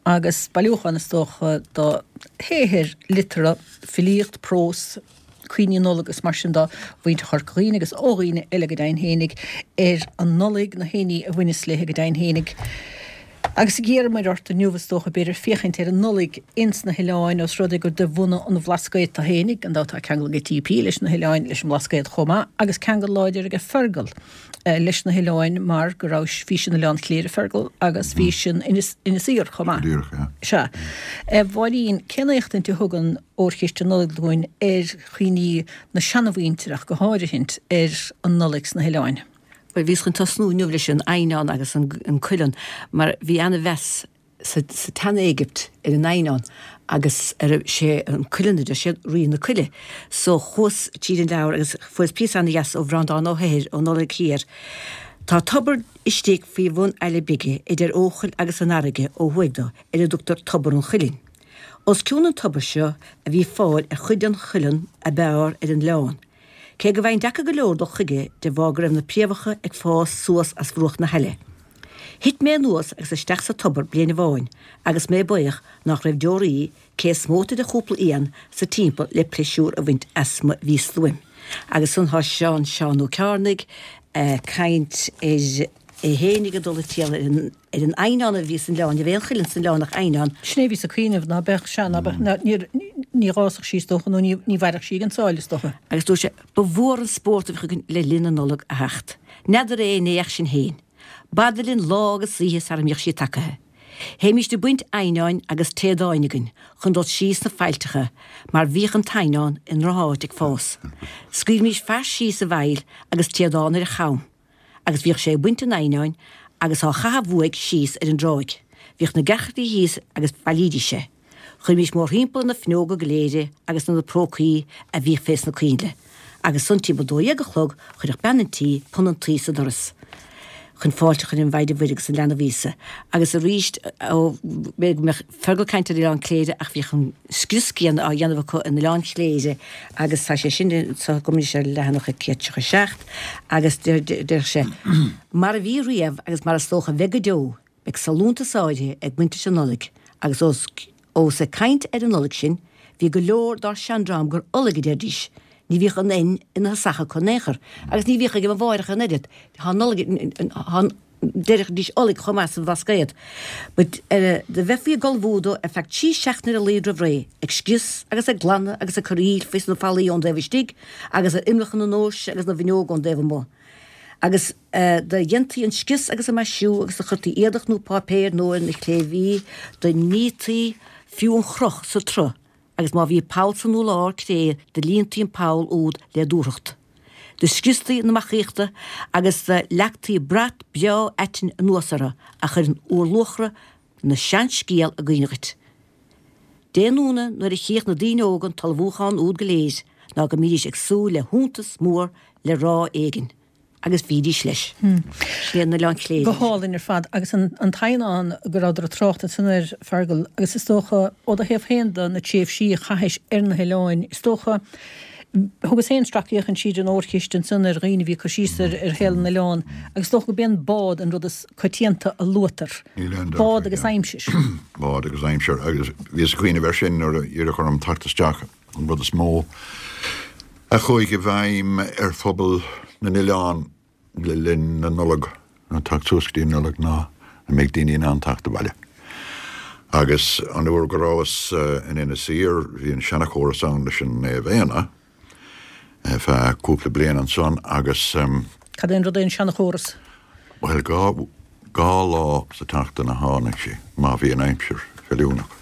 [SPEAKER 1] agus bailiúchán, is dócha, de shaothair liteartha, filíocht, prós, cuimhní Nollag is mar sin de mhuintir Chorca Dhuibhne agus ó dhaoine eile go deimhin fhéinig, ar an Nollaig, na héinní a bhaineas léi go deimhin fhéinig. Agus d'iarramar ort inniu, is dócha, b'fhéidir, féachaint ar an Nollaig ins na hoileáin, ós rud é gur de bhunadh an Bhlascaoid tú fhéinig, gan dabht tá ceangal ag TP leis na hoileáin, leis an mBlascaod chomh maith, agus ceangal láidir aige Fergal leis na hoileáin mar go raibh, bhís in Oileán Chléire, Fergal, agus bhís in Inis, Inis Oírr chomh maith.
[SPEAKER 6] Go díreach, yeah.
[SPEAKER 1] Sea. A Mháirín, cén éachtaint a thugann Órchiste Nollag dúinn ar chuimhní na seanamhuintire ach go háirithint ar an Nollaig sna hoileáin?
[SPEAKER 7] Bhuel, bhíos chun tosnú inniu leis an eidhneán agus an cuileann, mar bhí ana-mheas sa tSean-Éigipt ar an eidhneán agus ar, sé an cuileann a deir siad, rí na coille. So chuas tríd an leabhar agus fuaireas píosa ana-dheas ó Bhreandán Ó hEithir ón Nollaig Thiar. Tá tobar istigh faoi bhun Aille Bige idir Eochaill agus an fharraige ó thuaidh do, ar a dtugtar Tobar an Chuilinn. Os cionn an tobair seo a bhí fáil ar chuid den chuileann ab fhearr ar an oileán. Cé go bhfaighinn deacair go leor dul chuige de bharr go raibh na préamhacha ag fás suas as bhruach na haille. Thit mé anuas agus isteach sa tobar bliain amháin agus mé baoch nách raibh deoraí cé is móite de chúpla éan sa timpeall le pléisiúr a bhaint as mo mhístuaim. Agus ansan thá Seán Seán Ó Cearnaigh a' caint ar é fhéinig ag dul ag triall ar an ar an eidhneán a bhí san oileán, ní raibh aon chuileann san oileán ach eidhneán.
[SPEAKER 1] Sin é a bhíos ag cuimhneamh, ná beadh, sea, ná beadh, ná, ní, ní dh'fhásfadh sí is dócha, nó ní, ní mhairfeadh sí ag an tsáile is dócha.
[SPEAKER 7] Agus dúirt sé, Ba mhór an spórt a bhíodh againn le linn na Nollag a theacht. N'fheadar é an ea ach sinn féin. B'fhada linn lá agus oíche sara mbíodh sí tagaithe. Théimíst ag baint eidhneáin agus téadáin againn chun dul síos sna faillteacha mar bhíodh an t-eidhneán i ndroch-áit ag fás. Scaoilmís fear síos sa bhfaill agus téadán ar a cham. agus bhíodh sé ag baint an eidhneáin agus á chaitheamh uaidh síos ar an dtráigh. Bhíodh na gearrchailí thíos agus bhailídís é. Chuirimís mórthimpeall ar na fuinneoga go léir é agus ar na prócaí a bhíodh fés na coinnle. Agus ansan timpeall dó dhéag a chlog chuirfeadh bean an tí punann tuí sa doras. chun fáilte a chur roimh an Mhaighdean Mhuire agus an Leanbh Íosa. Agus arís, ó, b'fhéidir go mbeadh Fergal ag caint ar Oileán Cléire ach bhíodh an scrios céanna á dhéanamh acu in Oileán Chléire agus tá sé sin anseo agam anois ar leathanach 137 agus deir sé, Mar a bhí riamh agus mar is dócha a bheidh go deo, beidh sollúntas áirithe ag baint leis an Nollaig agus ós Ós ag caint ar an Nollaig sinn, bhí go leor dár seandream gur Ollaig a deiridís, ní bhíodh an N ina thosach acu in aon chor, agus ní bhíodh ag mo mháithreacha an oiread, tá Nollaig, tá, deiridís Ollaig chomh maith sa Bhlascaod. But eh, do bheifí ag ullmhú dó ar feadh trí seachtaine ar a laghad roimh ré, ag scrios agus ag glanadh agus ag cur aoil faoi sna fallaí ón dtaobh istigh agus ar imreacha na ndoirse agus na bhfuinneog ón dtaobh amuigh. Agus do dhéantaí an scrios agus an maisiú agus do chuirtí éadach nó páipéir nua ar na cléibhí, do nítí fiú an chroch sa tsruth agus má bhí poll san urlár cré do líontaí an poll úd le dúthracht. Do scriostaí na macaíochta agus do leagtaí brat breá aitinn anuas orthu a chuireann úrluachra na seanscéal i gcuimhne dhuit. Dé nóna nuair a chíodh na daoine óga an t-ullmhúchán úd go léir ná go mbídís ag súil le hiontas mór le rá éigin. Agus bhídís leis. Sin é an Oileán Cléire.
[SPEAKER 1] Go hálainn ar fad. Agus an t-eidhneán go rabhadar ag trácht ansan air, Fergal, agus is dócha, ó do thaobh féin de, na tréimhsí a chaithis ar na hoileáin, is dócha, thugas féin sracfhéachaint tríd an órchiste ansan ar dhaoine a bhí ag cur síos ar shaol na n-oileán, agus is dócha go b'é an bád an rud is coitianta a luaitear.
[SPEAKER 6] Níl aon dabht
[SPEAKER 1] Bád agus aimsir.
[SPEAKER 6] Bád agus aimsir. Agus bhíos ag cuimhneamh air sin nuair a iarradh orm teacht isteach, an rud is mó a chuaigh i bhfeidhm ar phobal na n-oileán le linn na Nollag, nó teacht suas go dtí an Nollaig, ná an mbeidh daoine in ann teacht abhaile. Agus an uair go rabhas in Inis Oírr, bhí an seanachóras ann leis an Naomh Éanna ar feadh cúpla bliain ansan agus.
[SPEAKER 1] Cad é an rud é an seanachóras?
[SPEAKER 6] Bhuel, dhá lá sa tseachtain a tháinig sí, má bhí an aimsir feiliúnach,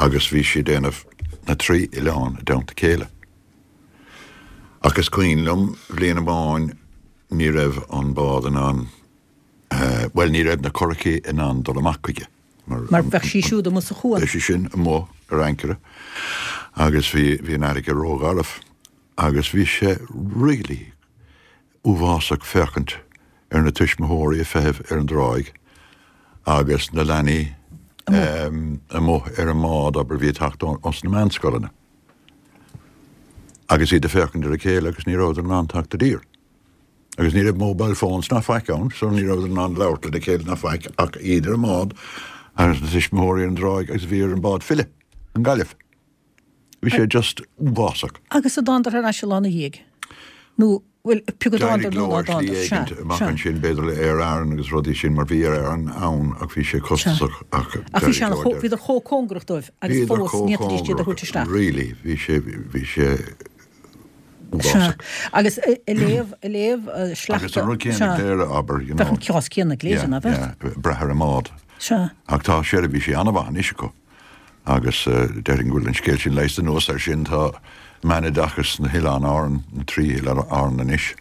[SPEAKER 6] agus bhí sí ag déanamh na trí oileán i dteannta chéile. Ach is cuimhin liom bhliain amháin ní raibh an bád in ann, bhuel ní raibh na curachaí in ann dul amach chuige.
[SPEAKER 1] Mar bheadh sí siúd amuigh sa chuan.
[SPEAKER 6] Bheadh sí sin amuigh ar ancaire agus bhí bhí an fharraige rógharbh agus bhí sé really uafásach féachaint ar na tuismitheoirí ag feitheamh ar an dtráigh agus na leanaí amuigh ar an mbád, abair, bhí ag teacht ós na meánscoileanna agus iad ag féachaint ar a chéile agus ní rabhadar in ann teacht i dtír. Agus ní raibh mobile phones ná faic ann so ní rabhadar in ann labhairt lena chéile ná faic ach iad ar an mbád agus na tuismitheoirí ar an dtráigh agus bhí ar an bád filleadh i nGaillimh. Bhí sé just uafásach.
[SPEAKER 1] Agus an dtánadar ar ais an lá ina dhiaidh? Nó, bhuel, pé acu
[SPEAKER 6] dtánadar nó ná dtánadar. D'éirigh leo ar shlí éigint amach ansin, b'fhéidir le Aer Arann agus rudaí sin, mar bhí Aer Arann ann ach bhí sé costasach
[SPEAKER 1] ach Ach bhí sé ana, bhíodar chomh cóngarach dóibh agus fós ní fhéadfaidís iad a thabhairt isteach.
[SPEAKER 6] Really, bhí sé, bhí sé
[SPEAKER 1] uafásach. Sea. Agus ag léamh, ag léamh
[SPEAKER 6] sleachta. Agus an rud céanna i gCléire, abair, you know.
[SPEAKER 1] Bheadh an cás céanna i gCléire, ná beadh?
[SPEAKER 6] Yeah, yeah, brath ar an mbád.
[SPEAKER 1] Sea.
[SPEAKER 6] Ach tá seirbhísí an-mhaith anois acu. Agus déarfainn go bhfuil an scéal sin leigheasta. Anuas air sin tá meánoideachas sna hOileáin Árann, na trí Oileán Árann anois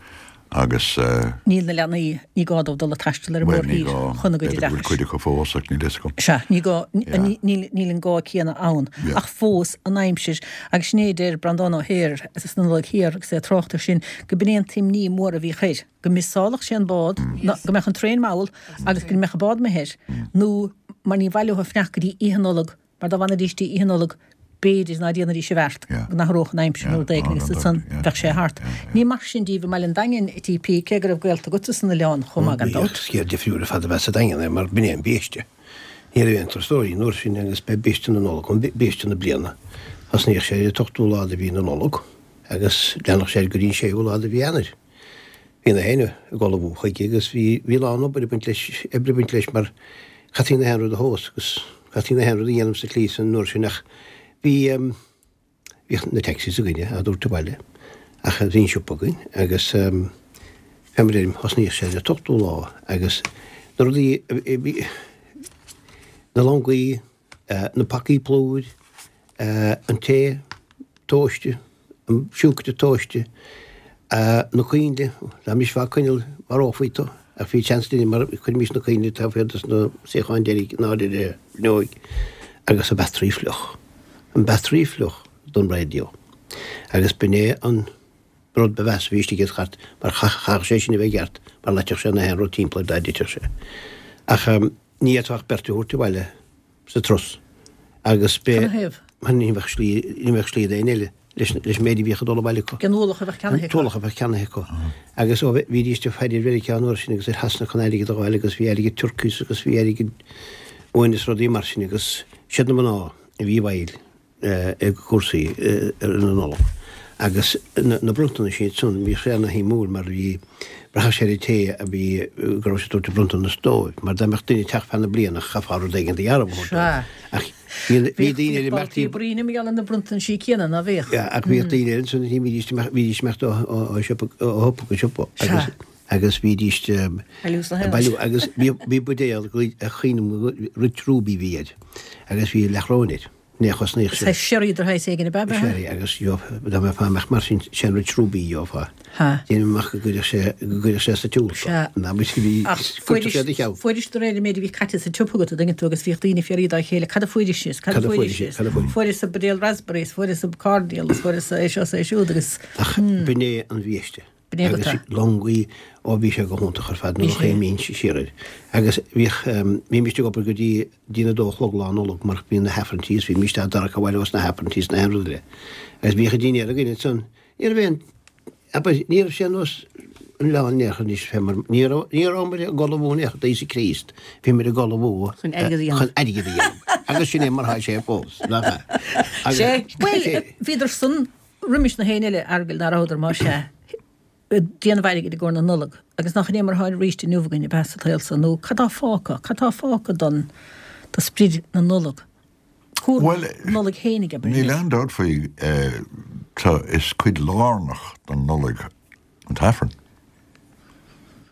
[SPEAKER 6] agus.
[SPEAKER 1] Níl na leanaí, ní gá dóibh dul ag taisteal ar an
[SPEAKER 6] mórthír
[SPEAKER 1] chun a gcuid oideachais. Bhuel ní gá,
[SPEAKER 6] b'fhéidir go bhfuil cuid acu fós ach níl
[SPEAKER 1] fhios agam. Sea, ní gá, níl an gá céanna ann. Ach fós, an aimsir, agus sin é a deir Breandán Ó hEithir sa Nollaig Thiar agus é ag trácht air sin, go b'in é an t-imní mór a bhíodh air, go miosálfadh sé an bád, go mbeadh an traein mall agus go mbeadh an bád imithe air, nó mar ní bhaileofaí fanacht go dtí Oíche Nollag, mar dá bhfanfaidís dtí Oíche Nollag, b'fhéidir ná déanfaidís an bheart go n-athródh an aimsir nó rud éigin agus ansan bheadh sé thart. Ní mar sin díbh i mBaile an Daingin, a TP, cé go raibh gaolta agatsa san oileán chomh maith gan dabht.
[SPEAKER 8] Scéal difriúil ar fad ab ea sa Daingean é mar b'in é an biaiste. Ní raibh aon turasóirí an uair sin agus b'é biaiste na Nollag an biaiste na bliana. Thosnaíodh sé ar an t-ochtú lá de mhí na Nollag agus leanfadh sé go dtí an séú lá de mhí Eanáir. Bhí na héinne ag ullmhú chuige agus bhí bhí a lán obair ag baint leis, oibre ag baint leis mar chaithfí na haon rud a thomhas agus chaithfí na haon rud a dhéanamh sa tslí san uair sin ach bhí bhíodh na taxis againne á dtabhairt abhaile ach bhí an siopa againn agus fé mar a deirim thosnaíodh sé ar an t-ochtú lá agus na rudaí a bhí na longaí, na pacaí plúir, an tae tomhaiste, an siúcra tomhaiste, na coinnle, dá mbrisfeá coinneal mharófaí tú, ach bhí seans linn mar chuirimis na coinnle taobh thiar dos na suíocháin deiridh in airde ar an bhfuinneoig, agus an battery fliuch, an battery fliuch don raidió. Agus b'in é an. Rud ba mheasa a bhí istigh i gcairt mar chaithfeadh sé sin a bheith i gceart mar loitfeadh sé na haon rud timpeall air dá dtitfeadh sé. Ach ní fhéadfá ach beirt a thabhairt abhaile sa turas agus b'é
[SPEAKER 1] Cad 'na thaobh?
[SPEAKER 8] mar ní bheadh slí ní bheadh slí d'aon eile leis leis an méid a bhíodh ag dul abhaile acu.
[SPEAKER 1] An t-ualach a bheadh ceannaithe
[SPEAKER 8] An t-ualach a bheadh ceannaithe acu. Agus ó bhídís ag faire ar Mheiriceá an uair sin agus ar Shasana chun airgead a fháil agus bhí airgead turkeys agus bhí airgead uain is rudaí mar sin agus siad na mná a bhí i bhfeighil i gcúrsaí na Nollag. Agus na bronntanais ansan, bhíodh sé ana-shuimiúil mar bhí, bhraitheadh sé ar an té a bhí, go raibh sé ag tabhairt an bronntanas dóibh, mar dá mbeadh duine ag teacht feadh na bliana, chaithfeá rud éigin de dhearbh a thabhairt dóibh. Ach bhí daoine eile,
[SPEAKER 1] Bhíodh báltaí bruíne mar gheall ar na bronntanisí céanna, ná bhíodh?
[SPEAKER 8] Ach bhíodh daoine eile ansan, bhídís ag imeacht, bhídís ag imeacht ó shiopa, ó shiopa go siopa agus, agus bhídís ag bailiú agus bhí buidéal, cuimhním, Rich Ruby a bhí air agus bhí leathchróin air. Ní chosnaíodh
[SPEAKER 1] sé. Saghas sherry de shaghas éigin ab ea?
[SPEAKER 8] Sherry agus gheofá, dá mbeifeá amach mar sin, sé an Rich Ruby a gheofá.
[SPEAKER 1] Ha.
[SPEAKER 8] Déanaim amach go gcuirfeadh sé, go gcuirfeadh sé sa tsiúl tú.
[SPEAKER 1] Sea.
[SPEAKER 8] Ná muid a bhí,
[SPEAKER 1] Ach
[SPEAKER 8] cuirtear sé do cheann.
[SPEAKER 1] fuairis de réir an méid a bhí caite sa tsiopa agat, a dtuigeann tú, agus bhíodh daoine ag fiafraí dá chéile, cad a fuairis is, cad a fuairis is,
[SPEAKER 8] cad a fuairis.
[SPEAKER 1] fuaireas buidéal raspberry is, fuaireas cordial is, fuaireas é seo is é siúd agus.
[SPEAKER 8] Ach b'in é an bhiaiste.
[SPEAKER 1] B'in é
[SPEAKER 8] Agus longaí, ó bhí sé go hiontach ar fad nuair a chuimhníonn siar air. Agus bhíodh, bhímist ag obair go dtí dtí a dó a chlog lá Nollag mar bhí na hAifrinntí is bhímist á dtarrac abhaile ós na hAifrinntí is na haon rud eile. Agus bhíodh an dinnéar againn ansan. Ní raibh aon, abair, ní raibh sé ar nós an oileáin in aon chor anois fé mar, ní raibh, ní rabhamar ag ullmhú in aon chor d'Íosa Críost, bhíomar ag ullmhú
[SPEAKER 7] Chun airgead a dhéanamh.
[SPEAKER 8] chun airgead a dhéanamh. Agus sin é mar thá sé fós, nach ea?
[SPEAKER 7] Agus,
[SPEAKER 1] Sé, bhuel, bhíodar san roimis na héinne eile, Fheargail, ná rabhadar, más ea, ag déanamh airgid i gcomhair na Nollag, agus nach in é mar atá arís inniu againn, ab ea, sa tsaol so, nó cad tá fágtha, cad tá fágtha don, do sprid na Nollag, cúram
[SPEAKER 6] Bhuel,
[SPEAKER 1] Nollag fhéinig, abair
[SPEAKER 6] níl
[SPEAKER 1] anois.
[SPEAKER 6] aon dabht faoi, tá, is cuid lárnach don Nollaig an tAifreann.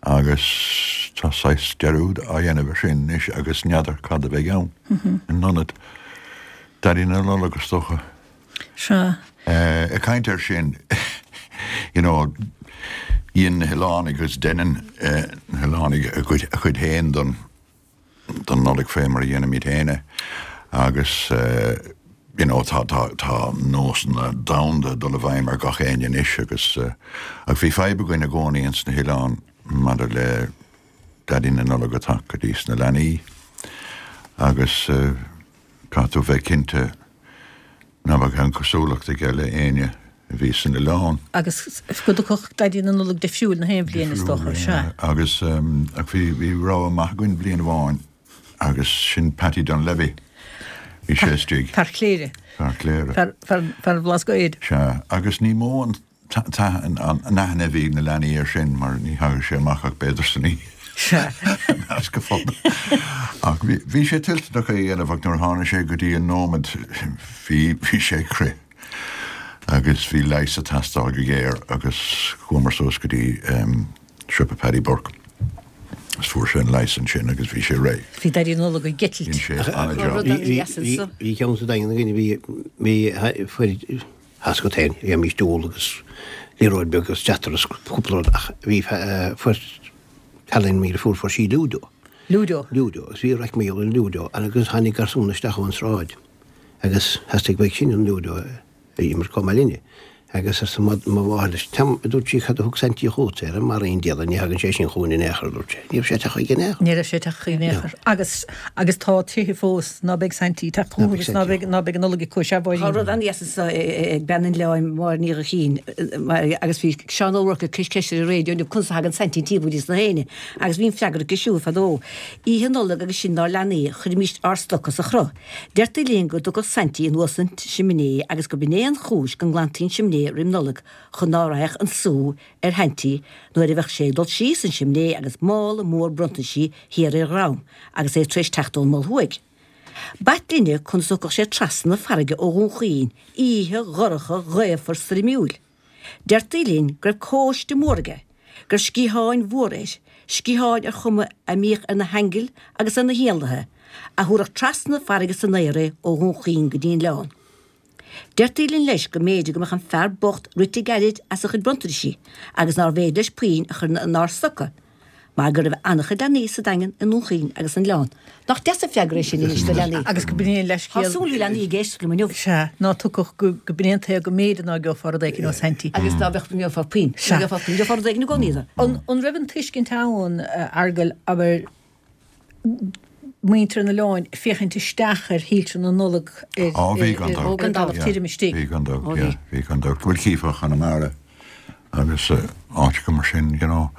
[SPEAKER 6] Agus tá saghas dearúd á dhéanamh ar sin anois agus n'fheadar cad a bheidh ann in ionad Daidí na Nollag, is dócha.
[SPEAKER 1] Sea.
[SPEAKER 6] Ag caint air sin, you know, dhein na hoileánaigh agus deineann na hoileánaigh a gcuid féin don don Nollaig fé mar a dhéanaimid féin é agus you know tá tá tá nósanna domhanda ag dul i bhfeidhm ar gach éinne anois agus ach bhí fadhb againn i gcónaí ins na hoileáin maidir le Daidí na Nollag ag teacht go dtí sna leanaí agus caithfidh tú bheith cinnte ná beadh aon chosúlacht aige le éinne a bhí san oileán.
[SPEAKER 1] Agus go dtiocfadh Daidí na Nollag difriúil na haon bhliain, is dócha. Sea.
[SPEAKER 6] Agus ach bhí bhí rogha maith againn bliain amháin agus sin Patty Dunlevy. Bhí sé istigh.
[SPEAKER 1] Fear Chléire.
[SPEAKER 6] Fear Chléire.
[SPEAKER 1] Fear fear fear an Bhlascaoid.
[SPEAKER 6] Sea. Agus ní mó an an aithne a bhí ag na leanaí air sin mar ní thagadh sé amach ach b'fhéidir san oíche.
[SPEAKER 1] Sea.
[SPEAKER 6] I measc an phobail. Ach bhí bhí sé toilteanach é a dhéanamh ach nuair a tháinig sé go dtí an nóiméad bhí bhí sé ag crith agus bhí leigheas ag teastáil go géar agus chuamar suas go dtí siopa Paddy Burke agus fuair sé an leigheas ansin agus bhí sé réidh.
[SPEAKER 1] Bhí Daidí na Nollag ag eitilt.
[SPEAKER 6] Dhein sé an-job.
[SPEAKER 8] Bhí ceann sa Daingean againn a bhí bhí fuair Tá a fhios agat féin, bhímist ag ól agus liathróid beag agus deatar agus cúpla rud ach bhí fuair cailín mo dheirfiúr fuair sí Ludo.
[SPEAKER 1] Ludo.
[SPEAKER 8] Ludo agus bhí raic mar gheall ar an Ludo agus tháinig garsún isteach ón sráid agus theastaigh uaidh sin an Ludo a imirt chomh maith linne agus arsa mo mháthair leis, Tam, a dúirt sí, cad a thug Saintí chugat é? Mar aon diabhal ní thagann sé sin chugainn in aon chor, a dúirt sé. Ní raibh sé ag teacht chuige in aon chor.
[SPEAKER 1] Ní raibh sé ag teacht chuige in aon chor. Agus, agus tá tréithe fós ná beidh Saintí ag teacht chucu agus ná beidh, ná beidh an Nollaig acu, sea, a Mháirín.
[SPEAKER 7] Tá rud an-deas anso ag bean an Oileáin, Máire Ní Ghuithín, agus bhí Seán Ó Ruairc ag cur ceist ar an raidió inniu conas a thagann Saintí timpeall go dtí sna héinne agus bhí an freagra aici siúd fadó. Oíche Nollag agus sinn 'nár leanaí, chuirimíst ár stoca sa chruth. Deirtí linn go dtiocfadh Saintí anuas an simné agus go b'in é an chúis go nglantaí an simné roim Nollaig chun ná raghadh an sú ar Shaintí nuair a bheadh sé ag dul síos an simné agus mála mór bronntaisí thiar ar a dhrom agus é tar éis teacht ón Mol Thuaidh. B'ait linne conas a thiocfadh sé trasna na farraige ó Dhún Chaoin oíche dhorcha ghaofar stoirmiúil. Deirtí linn go raibh cóiste mór aige, go raibh sciatháin mhóra air, sciatháin ar chuma a mbíodh ar na haingil agus ar na héanlaithe, a thabharfadh trasna na farraige san aer é ó Dhún Chaoin go dtí an oileán. Deirtí linn leis go mb'fhéidir go mbeadh an fear bocht rite gairid as a chuid bronntanaisí agus nárbh fhéidir leis puinn a chur inár stoca. Mar go raibh an-chuid leanaí sa Daingean, i nDún Chaoin agus san Oileán. Nach deas an freagra é sin anois do leanaí?
[SPEAKER 1] Agus go b'in é an leithscéal.
[SPEAKER 7] Tá súil ag leanaí ag éisteacht liom inniu.
[SPEAKER 1] Sea, ná tugadh go b'in é an taobh go mb'fhéidir ná geofá rud éicint ó Saintí.
[SPEAKER 7] Agus dá mbeadh, gheofá puinn.
[SPEAKER 1] Sea.
[SPEAKER 7] Gheofá puinn, gheofá rud éigin i gcónaí.
[SPEAKER 1] An raibh an tuiscint ann, a Fheargail, abair, muintir an oileáin ag féachaint isteach ar shoilse na Nollag
[SPEAKER 6] ar
[SPEAKER 1] an dtalamh tirim istigh.
[SPEAKER 6] Bhí gan dabht, yeah, bhí gan dabht. Bhuel chífeá Conamara agus áiteacha mar sin, you know.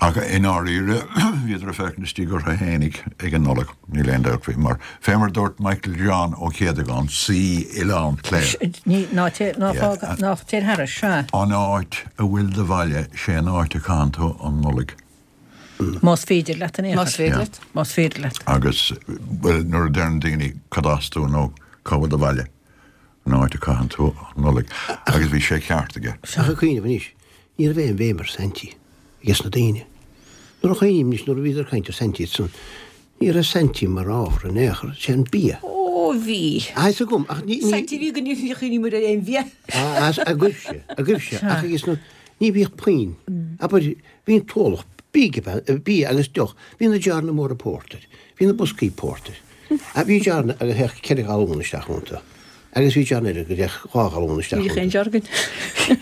[SPEAKER 6] Ach i ndáiríre bhíodar ag féachaint istigh orthu fhéinig ag an Nollaig, níl aon dabht faoi, mar fé mar dúirt Michael John Ó Céadagáin, saoi Oileán Chléire.
[SPEAKER 1] Ní, ná téir, ná fág, ná téir thairis, sea.
[SPEAKER 6] An áit a bhfuil do bhaile, sé an áit a chaitheann tú an Nollaig.
[SPEAKER 1] Más féidir leat in aon chor.
[SPEAKER 3] Más féidir leat.
[SPEAKER 1] Más féidir leat.
[SPEAKER 6] Agus, bhuel, nuair a deireann daoine cad as tú nó cá bhfuil do bhaile, an áit a caitheann tú an Nollaig. Agus bhí sé ceart aige.
[SPEAKER 8] Ach ag cuimhneamh anois, ní raibh aon bhéim ar Saintí ages na daoine. Nuair a chuimhním anois, nuair a bhíodar ag caint ar Saintí ansan, ní raibh Saintí mar ábhar in aon chor, sé an bia.
[SPEAKER 7] Ó, bhí.
[SPEAKER 8] Tá fhios agam, ach ní, ní.
[SPEAKER 7] Saintí bhí go ní chuimhníomar ar aon bhia.
[SPEAKER 8] Agaibhse, agaibhse, ach ages na, ní bhíodh puinn. Abair, Bhí an t-ualach bídh, bia agus deoch, bhí na jarranna móra pórtair, bhí na boscaí pórtair. Bhí jarranna agus théadh ceithre ghalún isteach iontu agus bhí jarranna eile go dtéadh dhá ghalún isteach
[SPEAKER 7] Ní
[SPEAKER 8] iontu.
[SPEAKER 7] aon jar againn.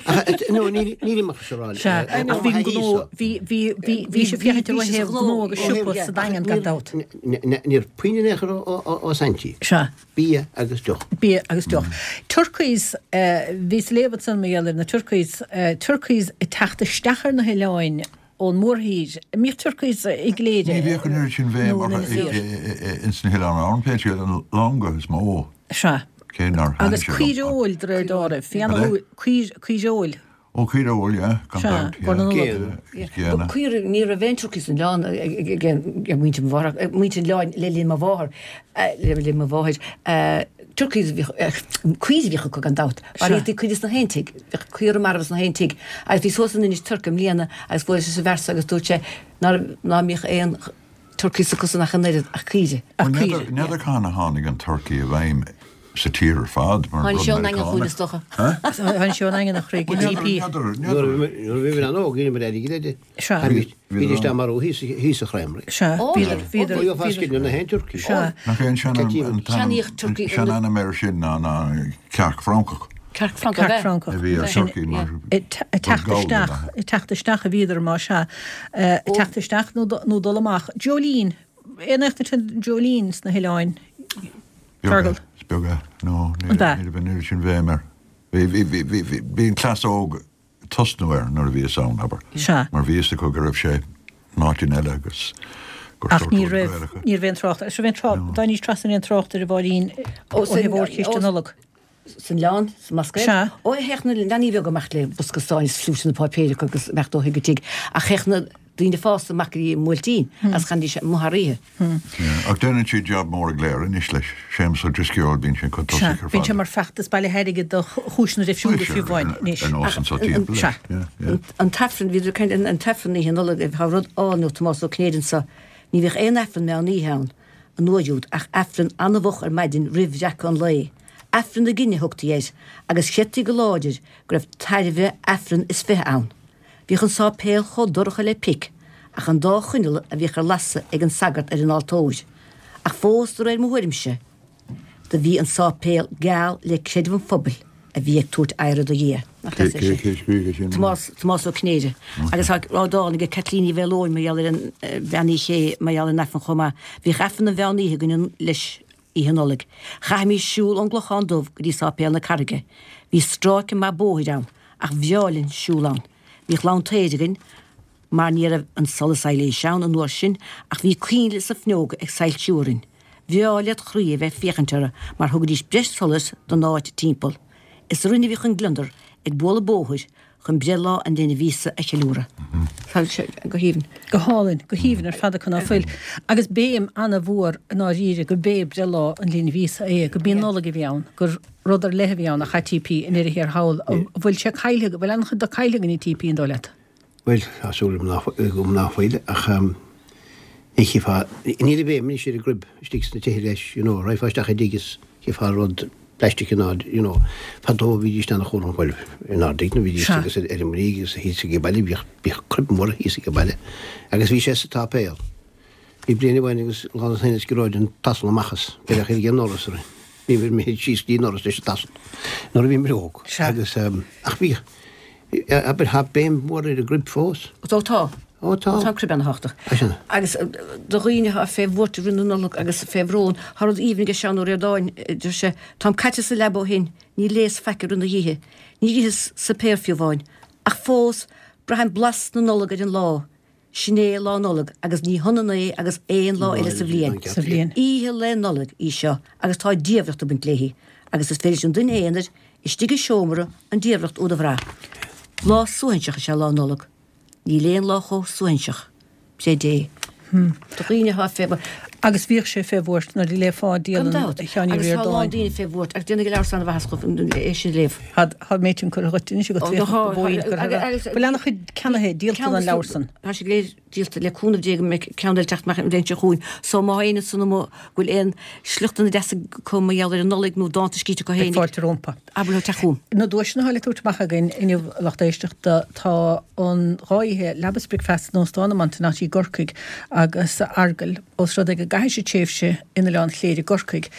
[SPEAKER 8] Ach no, níl nílim ach ag rá
[SPEAKER 1] Sea, ach bhí an gnó, bhí, bhí, bhí, bhí sibh féachaint ar thaobh gnó agus siopa sa Daingean gan dabht.
[SPEAKER 8] Ní raibh puinn in aon chor ó Saintí.
[SPEAKER 1] Sea.
[SPEAKER 8] Bia agus deoch.
[SPEAKER 1] Bia agus deoch. Turkeys, bhíos ag léamh ansan mar gheall ar na turkeys, turkeys ag teacht isteach ar na hoileáin ón mórthír. An mbíodh turkeys i gCléire
[SPEAKER 6] Ní bhíodh an oiread sin bhéim
[SPEAKER 1] nó in
[SPEAKER 6] orthu
[SPEAKER 1] Inis Oírr?
[SPEAKER 6] ins na hOileáin Árann, pé scéal, an longa is mó,
[SPEAKER 1] Sea.
[SPEAKER 6] cé nár thaithin
[SPEAKER 1] Agus
[SPEAKER 6] sé liom.
[SPEAKER 1] caoireoil de réir dealraimh.
[SPEAKER 6] Cad é?
[SPEAKER 1] Caoireoil.
[SPEAKER 6] Ó caoireoil, yeah, gan
[SPEAKER 1] Sea,
[SPEAKER 6] dabht, yeah.
[SPEAKER 1] Gona Nollag.
[SPEAKER 8] Géanna.
[SPEAKER 6] Is géanna.
[SPEAKER 7] Caoire, ní raibh aon turkeys san oileán ag muintir mo mháthar, muintir an oileáin le linn mo mháthar, le linn mo mháthair. Turkeys a bhíodh, caoire a bhíodh acu gan dabht. Mar ithí caoire sna haon tigh, bhíodh caora marbh sna haon tigh. Agus bhíos thuas in Inis Toirc i mbliana agus bhuaileas leis an bhfear so agus dúirt sé ná ná mbíodh aon turkeys acusan ach an oiread ach caoire.
[SPEAKER 1] Ach caoire, yeah.
[SPEAKER 6] N'fheadar cathain a tháinig an turkey i bhfeidhm sa tír ar fad mar
[SPEAKER 7] Tháinig
[SPEAKER 6] rud
[SPEAKER 7] sé ón Daingean chugainn
[SPEAKER 6] Meiriceánach.
[SPEAKER 7] is dócha.
[SPEAKER 1] Tháinig sé ón nDaingean a chroí go TP.
[SPEAKER 6] N'fheadar,
[SPEAKER 8] Nuair
[SPEAKER 6] n'fheadar.
[SPEAKER 8] a bhí mé an-óg, dheineamar airgead air.
[SPEAKER 1] Sea.
[SPEAKER 8] Bhídís dá marú thíos sa chreamery.
[SPEAKER 1] Sea, bhíodar, bhíodar,
[SPEAKER 8] Gheofá
[SPEAKER 1] bhíodar.
[SPEAKER 8] scian na haon turcaí.
[SPEAKER 1] Sea.
[SPEAKER 6] Nach é an sean-ainm,
[SPEAKER 7] Ceannaíodh turcaí.
[SPEAKER 6] sean-ainm air sin ná ná cearc Francach.
[SPEAKER 7] Cearc Francach,
[SPEAKER 1] Cearc
[SPEAKER 7] ab ea?
[SPEAKER 1] Francach.
[SPEAKER 6] A bhí ar
[SPEAKER 1] Sin,
[SPEAKER 6] turcaí mar
[SPEAKER 1] ag teacht isteach, ag teacht isteach a bhíodar má sea. Ag teacht isteach nó nó dul amach. Jolene, aon aithne agat Jolene sna hoileáin? Fergal.
[SPEAKER 6] Is beag é. No, ní
[SPEAKER 1] An ea?
[SPEAKER 6] raibh an oiread sin bhéim air. Bhí, bhí, bhí, bhí, bhí, bhí an cleas óg ag tosnú air nuair a bhíos ann, abair.
[SPEAKER 1] Sea.
[SPEAKER 6] Mar bhí fhios acu go raibh sé in áiteanna eile agus gur
[SPEAKER 1] Ach
[SPEAKER 6] sórt
[SPEAKER 1] ní
[SPEAKER 6] rud
[SPEAKER 1] raibh,
[SPEAKER 6] Gaelach é.
[SPEAKER 1] ní raibh aon trácht, is raibh aon trácht,
[SPEAKER 6] No.
[SPEAKER 1] dá níos trasna aon trácht ar a Mháirín ó
[SPEAKER 7] Ó, san,
[SPEAKER 1] thaobh mhórchiste
[SPEAKER 7] ó,
[SPEAKER 1] Nollag.
[SPEAKER 7] san oileán, sa mBlascaod.
[SPEAKER 1] Sea.
[SPEAKER 7] Ó, théadh na leanaí bheaga amach le bosca stáin is pluaiseanna páipéir acu agus imeacht ó thigh go tigh. Ach théadh na daoine fásta amach go dtí an mBuailtín agus chanaidís amuigh thar oíche.
[SPEAKER 6] Ach déanann siad jab mór i gCléire anois leis. Séamus Ó Drisceoil, bíonn sé chun
[SPEAKER 1] Sea,
[SPEAKER 6] tosaigh ar
[SPEAKER 1] bíonn sé
[SPEAKER 6] fad.
[SPEAKER 1] mar feachtas bailithe airgid do chúiseanna difriúla fiú amháin anois.
[SPEAKER 6] Ar nós anso timpeall leis.
[SPEAKER 1] Sea.
[SPEAKER 6] Yeah, yeah.
[SPEAKER 7] An tAifreann, bhíodar ag caint an tAifreann Oíche Nollag, tá rud álainn ó Tomás Ó Cinnéide anso, ní bhíodh aon Aifreann meán oíche ann an uair úd ach Aifreann an-mhoch ar maidin roimh bhreacadh an lae. Aifreann na Gine a thugtaí air agus chreidtí go láidir go raibh tairbhe Aifreann is 20 ann. Bhíodh an sáipéal chomh dorcha le pic ach an dá choinneal a bhíodh ar lasadh ag an sagart ar an altóir. Ach fós de réir mo thuairimse do bhí an sáipéal geal le creideamh an phobail a bhí ag tabhairt adhradh do Dhia. Nach deas é
[SPEAKER 6] Cé
[SPEAKER 7] sin?
[SPEAKER 6] cé scrígh é sin?
[SPEAKER 7] Tomás, Tomás Ó Cinnéide. Agus tá dán aige Caitlín Uí Mhaoileoin mar gheall ar an Bhean Uí Ché mar gheall ar an Aifreann chomh maith. Bhíodh Aifreann an mheán oíche againn leis Oíche Nollag. Chaithimis siúl ón gClochán Dubh go dtí Sáipéal na Carraige. Bhí stráice maith bóthair ann, ach bhreá linn siúl ann. Bhíodh lantair againn mar ní raibh an solas aibhléise ann an uair sin ach bhí coinnle sna fuinneoga ag soilsiú orainn. Bhreá led chroí a bheith ag féachaint orthu mar thugaidís breis solais don áit timpeall. Is orainn a bhíodh an gliondar ag bualadh bóthair chun breithlá an linbh Íosa a cheiliúradh. Tá sé go haoibhinn.
[SPEAKER 1] Go hálainn, go haoibhinn ar fad acu ná fuil. Agus béim ana-mhór i ndáiríre go b'é breithlá an linbh Íosa é, go b'í an Nollaig a bhí ann, gur rud ar leith a bhí ann a chaití i ndeireadh thiar thall. An bhfuil sé caillthe, an bhfuil an-chuid de caillthe againn i TP an dóigh leat?
[SPEAKER 8] Bhuel, tá súil agam ná fuil, ach ní chífeá, níl an bhéim anois ar an gcruib istigh sna tithe leis, you know, raghfá isteach i dtigh is chífeá rud. Plaisteach in airde, you know. Fadó bhídís ana-chúramach, bhuel, in airde ag na bhídís agus ar an mBríg agus thíos ag an baile, bhíodh, bhíodh crib mór thíos ag an baile agus bhí sé sa tsáipéal. Bhí bliain amháin agus lá na Saoine is gearóid an t-asal amach as, beireadh ar an ndoras orainn. Bhí mé síos go dtí an ndoras leis an t-asal nuair a bhí mé óg. Agus, ach bhíodh, abair, tá béim mhór ar an gcrib fós.
[SPEAKER 7] Ó tá.
[SPEAKER 8] Ó tá.
[SPEAKER 7] Tá crib ana-thábhachtach.
[SPEAKER 8] Á sin.
[SPEAKER 7] Agus do dhaoine atá fé bhuairt i rith na Nollag agus fé bhrón, tá rud aoibhinn aige Seán Ó Ríordáin, deir sé, Táim caite sa leaba ó shin, níor léas faic i rith na hoíche, níor itheas suipéar fiú amháin. Ach fós, braithim blas na Nollag ar an lá. Sin é Lá Nollag agus ní hionann é agus aon lá eile sa bhliain.
[SPEAKER 1] Sa bhliain.
[SPEAKER 7] Oíche Lae Nollag í seo agus tá diamhracht ag baint léi agus is féidir leis an duine aonair istigh i seomra an diamhracht úd a bhrath. Lá suaithinseach is ea Lá Nollag. Níl aon lá chomh suaithinseach. Creid é. Do dhaoine atá fé.
[SPEAKER 1] Agus bhíodh sé fé bhuairt nuair a léifeá
[SPEAKER 7] Gan
[SPEAKER 1] dialann
[SPEAKER 7] dabht.
[SPEAKER 1] Sheáin Uí
[SPEAKER 7] Agus tá a lán
[SPEAKER 1] Ríordáin.
[SPEAKER 7] daoine fé bhuairt agus déanfaidh an leabhar san ana-mhaitheas dhóibh é sin a léamh.
[SPEAKER 1] Tá méid sin curtha dhuit anois agat,
[SPEAKER 7] Ó,
[SPEAKER 1] bhíodh
[SPEAKER 7] tá,
[SPEAKER 1] go bhfóillín curtha
[SPEAKER 7] agus,
[SPEAKER 1] agat.
[SPEAKER 7] agus,
[SPEAKER 1] Bhfuil ana-chuid ceannaithe, díolta
[SPEAKER 7] ceann
[SPEAKER 1] den leabhar san?
[SPEAKER 7] Tá sé go léir díolta le cúnamh Dé go mbeidh ceann eile teacht amach an bhliain seo chugainn. So má tá éinne ansan amuigh go bhfuil aon sliochtanna deasa acu mar gheall ar an Nollaig nó dánta scríte acu
[SPEAKER 1] Beidh
[SPEAKER 7] fhéinig,
[SPEAKER 1] fáilte rompu.
[SPEAKER 7] abair leo teacht chugam.
[SPEAKER 1] Na duaiseanna atá le tabhairt amach againn inniu, a lucht éisteachta, tá an dá oíche leaba is bricfeasta in Óstán an Montenotte i gCorcaigh agus Fheargail, ós rud é go gcaithfidh sibh tréimhse in Oileán Chléire i gCorcaigh.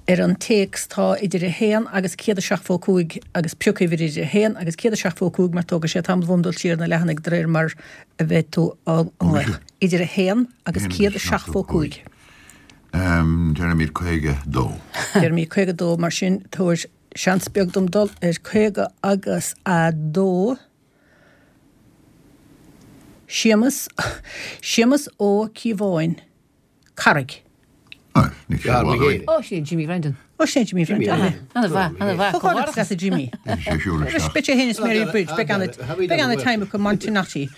[SPEAKER 1] Ar an téacs tá idir 1 agus 175 agus pioc uimhir idir 1 agus 175 mar tógfaidh sé tamall uaim dul siar na leathanaigh de réir mar a bheidh tú á nglaoch. Idir 1 agus 175.
[SPEAKER 6] Deirimid 52.
[SPEAKER 1] Deirimid 52 mar sin tabhair seans beag dom dul ar 50 agus a dó. Séamus, Séamus Ó Cíobháin, Carraig.
[SPEAKER 7] Ó, sin é Jimmy Bhrendan.
[SPEAKER 1] Ó, sin é Jimmy Bhrendan.
[SPEAKER 7] Ana-mhaith, ana-mhaith.
[SPEAKER 1] Comhghairdeachas leat a Jimmy. Beidh sé féin is Mary Bridge, beidh ana, beidh ana time acu Montenotte.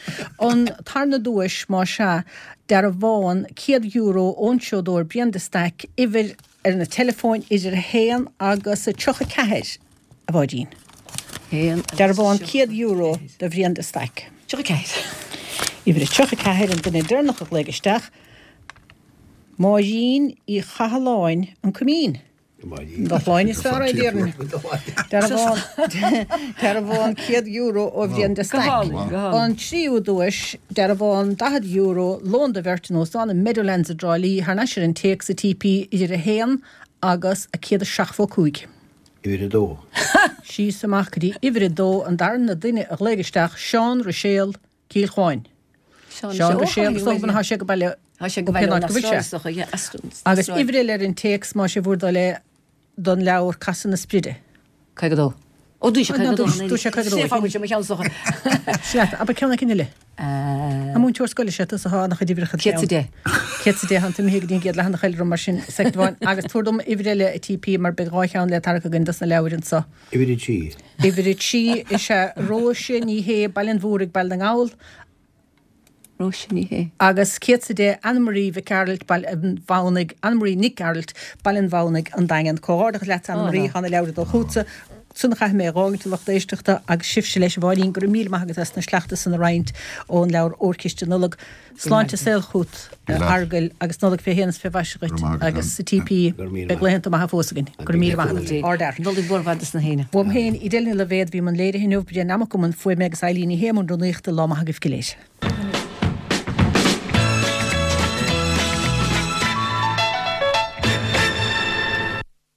[SPEAKER 1] An tarna duais, más ea, dearbhán €100 ón seodóir Brian de Staic, uimhir ar na teileafóin idir 1 agus 34, a Mháirín. Dearbhán €100 do Bhrian de Staic.
[SPEAKER 7] 34.
[SPEAKER 1] Uimhir 34, an duine deireanach a ghlaoigh isteach, Máirín Uí Chathalláin, An Coimín. Do shláine is fearr é, déarfainn. Dearbhán, dearbhán €100 ó Bhrian de Staic. An tríú duais, dearbhán €40, lón do bheirt in Óstán an Meadowlands i dTrá Lí, thar n-ais ar an téacs a TP idir 1 agus 175.
[SPEAKER 8] Uimhir 2.
[SPEAKER 1] Síos amach go dtí uimhir 2, an darna duine a ghlaoigh isteach, Seán Ruiséal, Cill Chuáin. Seán Ruiséal, is dócha go tá sé go baile
[SPEAKER 7] Tá sé go
[SPEAKER 1] ó
[SPEAKER 7] baile
[SPEAKER 1] cén
[SPEAKER 7] ón
[SPEAKER 1] áit go bhfuil sé.
[SPEAKER 7] Astráil, is dócha, yeah, as
[SPEAKER 1] Agus
[SPEAKER 7] Astráil.
[SPEAKER 1] uimhir eile ar an téacs, más é bhur dtoil é, don leabhar Casadh na Spride.
[SPEAKER 7] 52. Ó, dúirt sé
[SPEAKER 1] Ó, ná,
[SPEAKER 7] 52.
[SPEAKER 1] dúirt- dúirt sé 52.
[SPEAKER 7] Sé fágann sé mo cheann, is dócha.
[SPEAKER 1] Sin leat, abair ceann éicint eile. An múinteoir scoile is ea tusa tá ana-chuid uimhreacha
[SPEAKER 7] 110.
[SPEAKER 1] 110, tá tú imithe go dtí an gcéad leathanach eile orm mar sin, soicind amháin. Agus tabhair dom uimhir eile a TP mar beidh dhá cheann le tarrac againn dos na leabhair anso.
[SPEAKER 8] Uimhir 3.
[SPEAKER 1] Uimhir 3 is ea Róise Ní Shé, Baile an Mhúraigh, Baile na nGall.
[SPEAKER 7] Róise Ní Shé.
[SPEAKER 1] Agus 110, Anne-Marie Mhic Gearailt, Baile an Mhamhnaigh, Anne-Marie Nic Gearailt, Baile an Mhamhnaigh, An Daingean. Comhghairdeachas leatsa Anne-Marie, tá na leabhair ag dul chugatsa. Sin a chaithfidh mé a dh'fhágaint a lucht éisteachta agus sibhse leis a Mháirín, go raibh míle maith agat as na sleachta san a roinnt ón leabhar Órchiste Nollag. Sláinte is saol chút, a Fheargail, agus Nollaig fé shéan is fé mhaise dhuit agus a TP, beidh laethanta maithe fós againn. Go raibh míle maith agat. Ardfhear.
[SPEAKER 7] Nollaig mhór mhaith dos na héinne.
[SPEAKER 1] Uaim féin, Edel Ní Loibhéad, bhí i mbun léirithe inniu, Brian Mac Eamoinn fuaime agus Eilín Ní Shé i mbun rúnaíochta, lá maith agaibh go léir.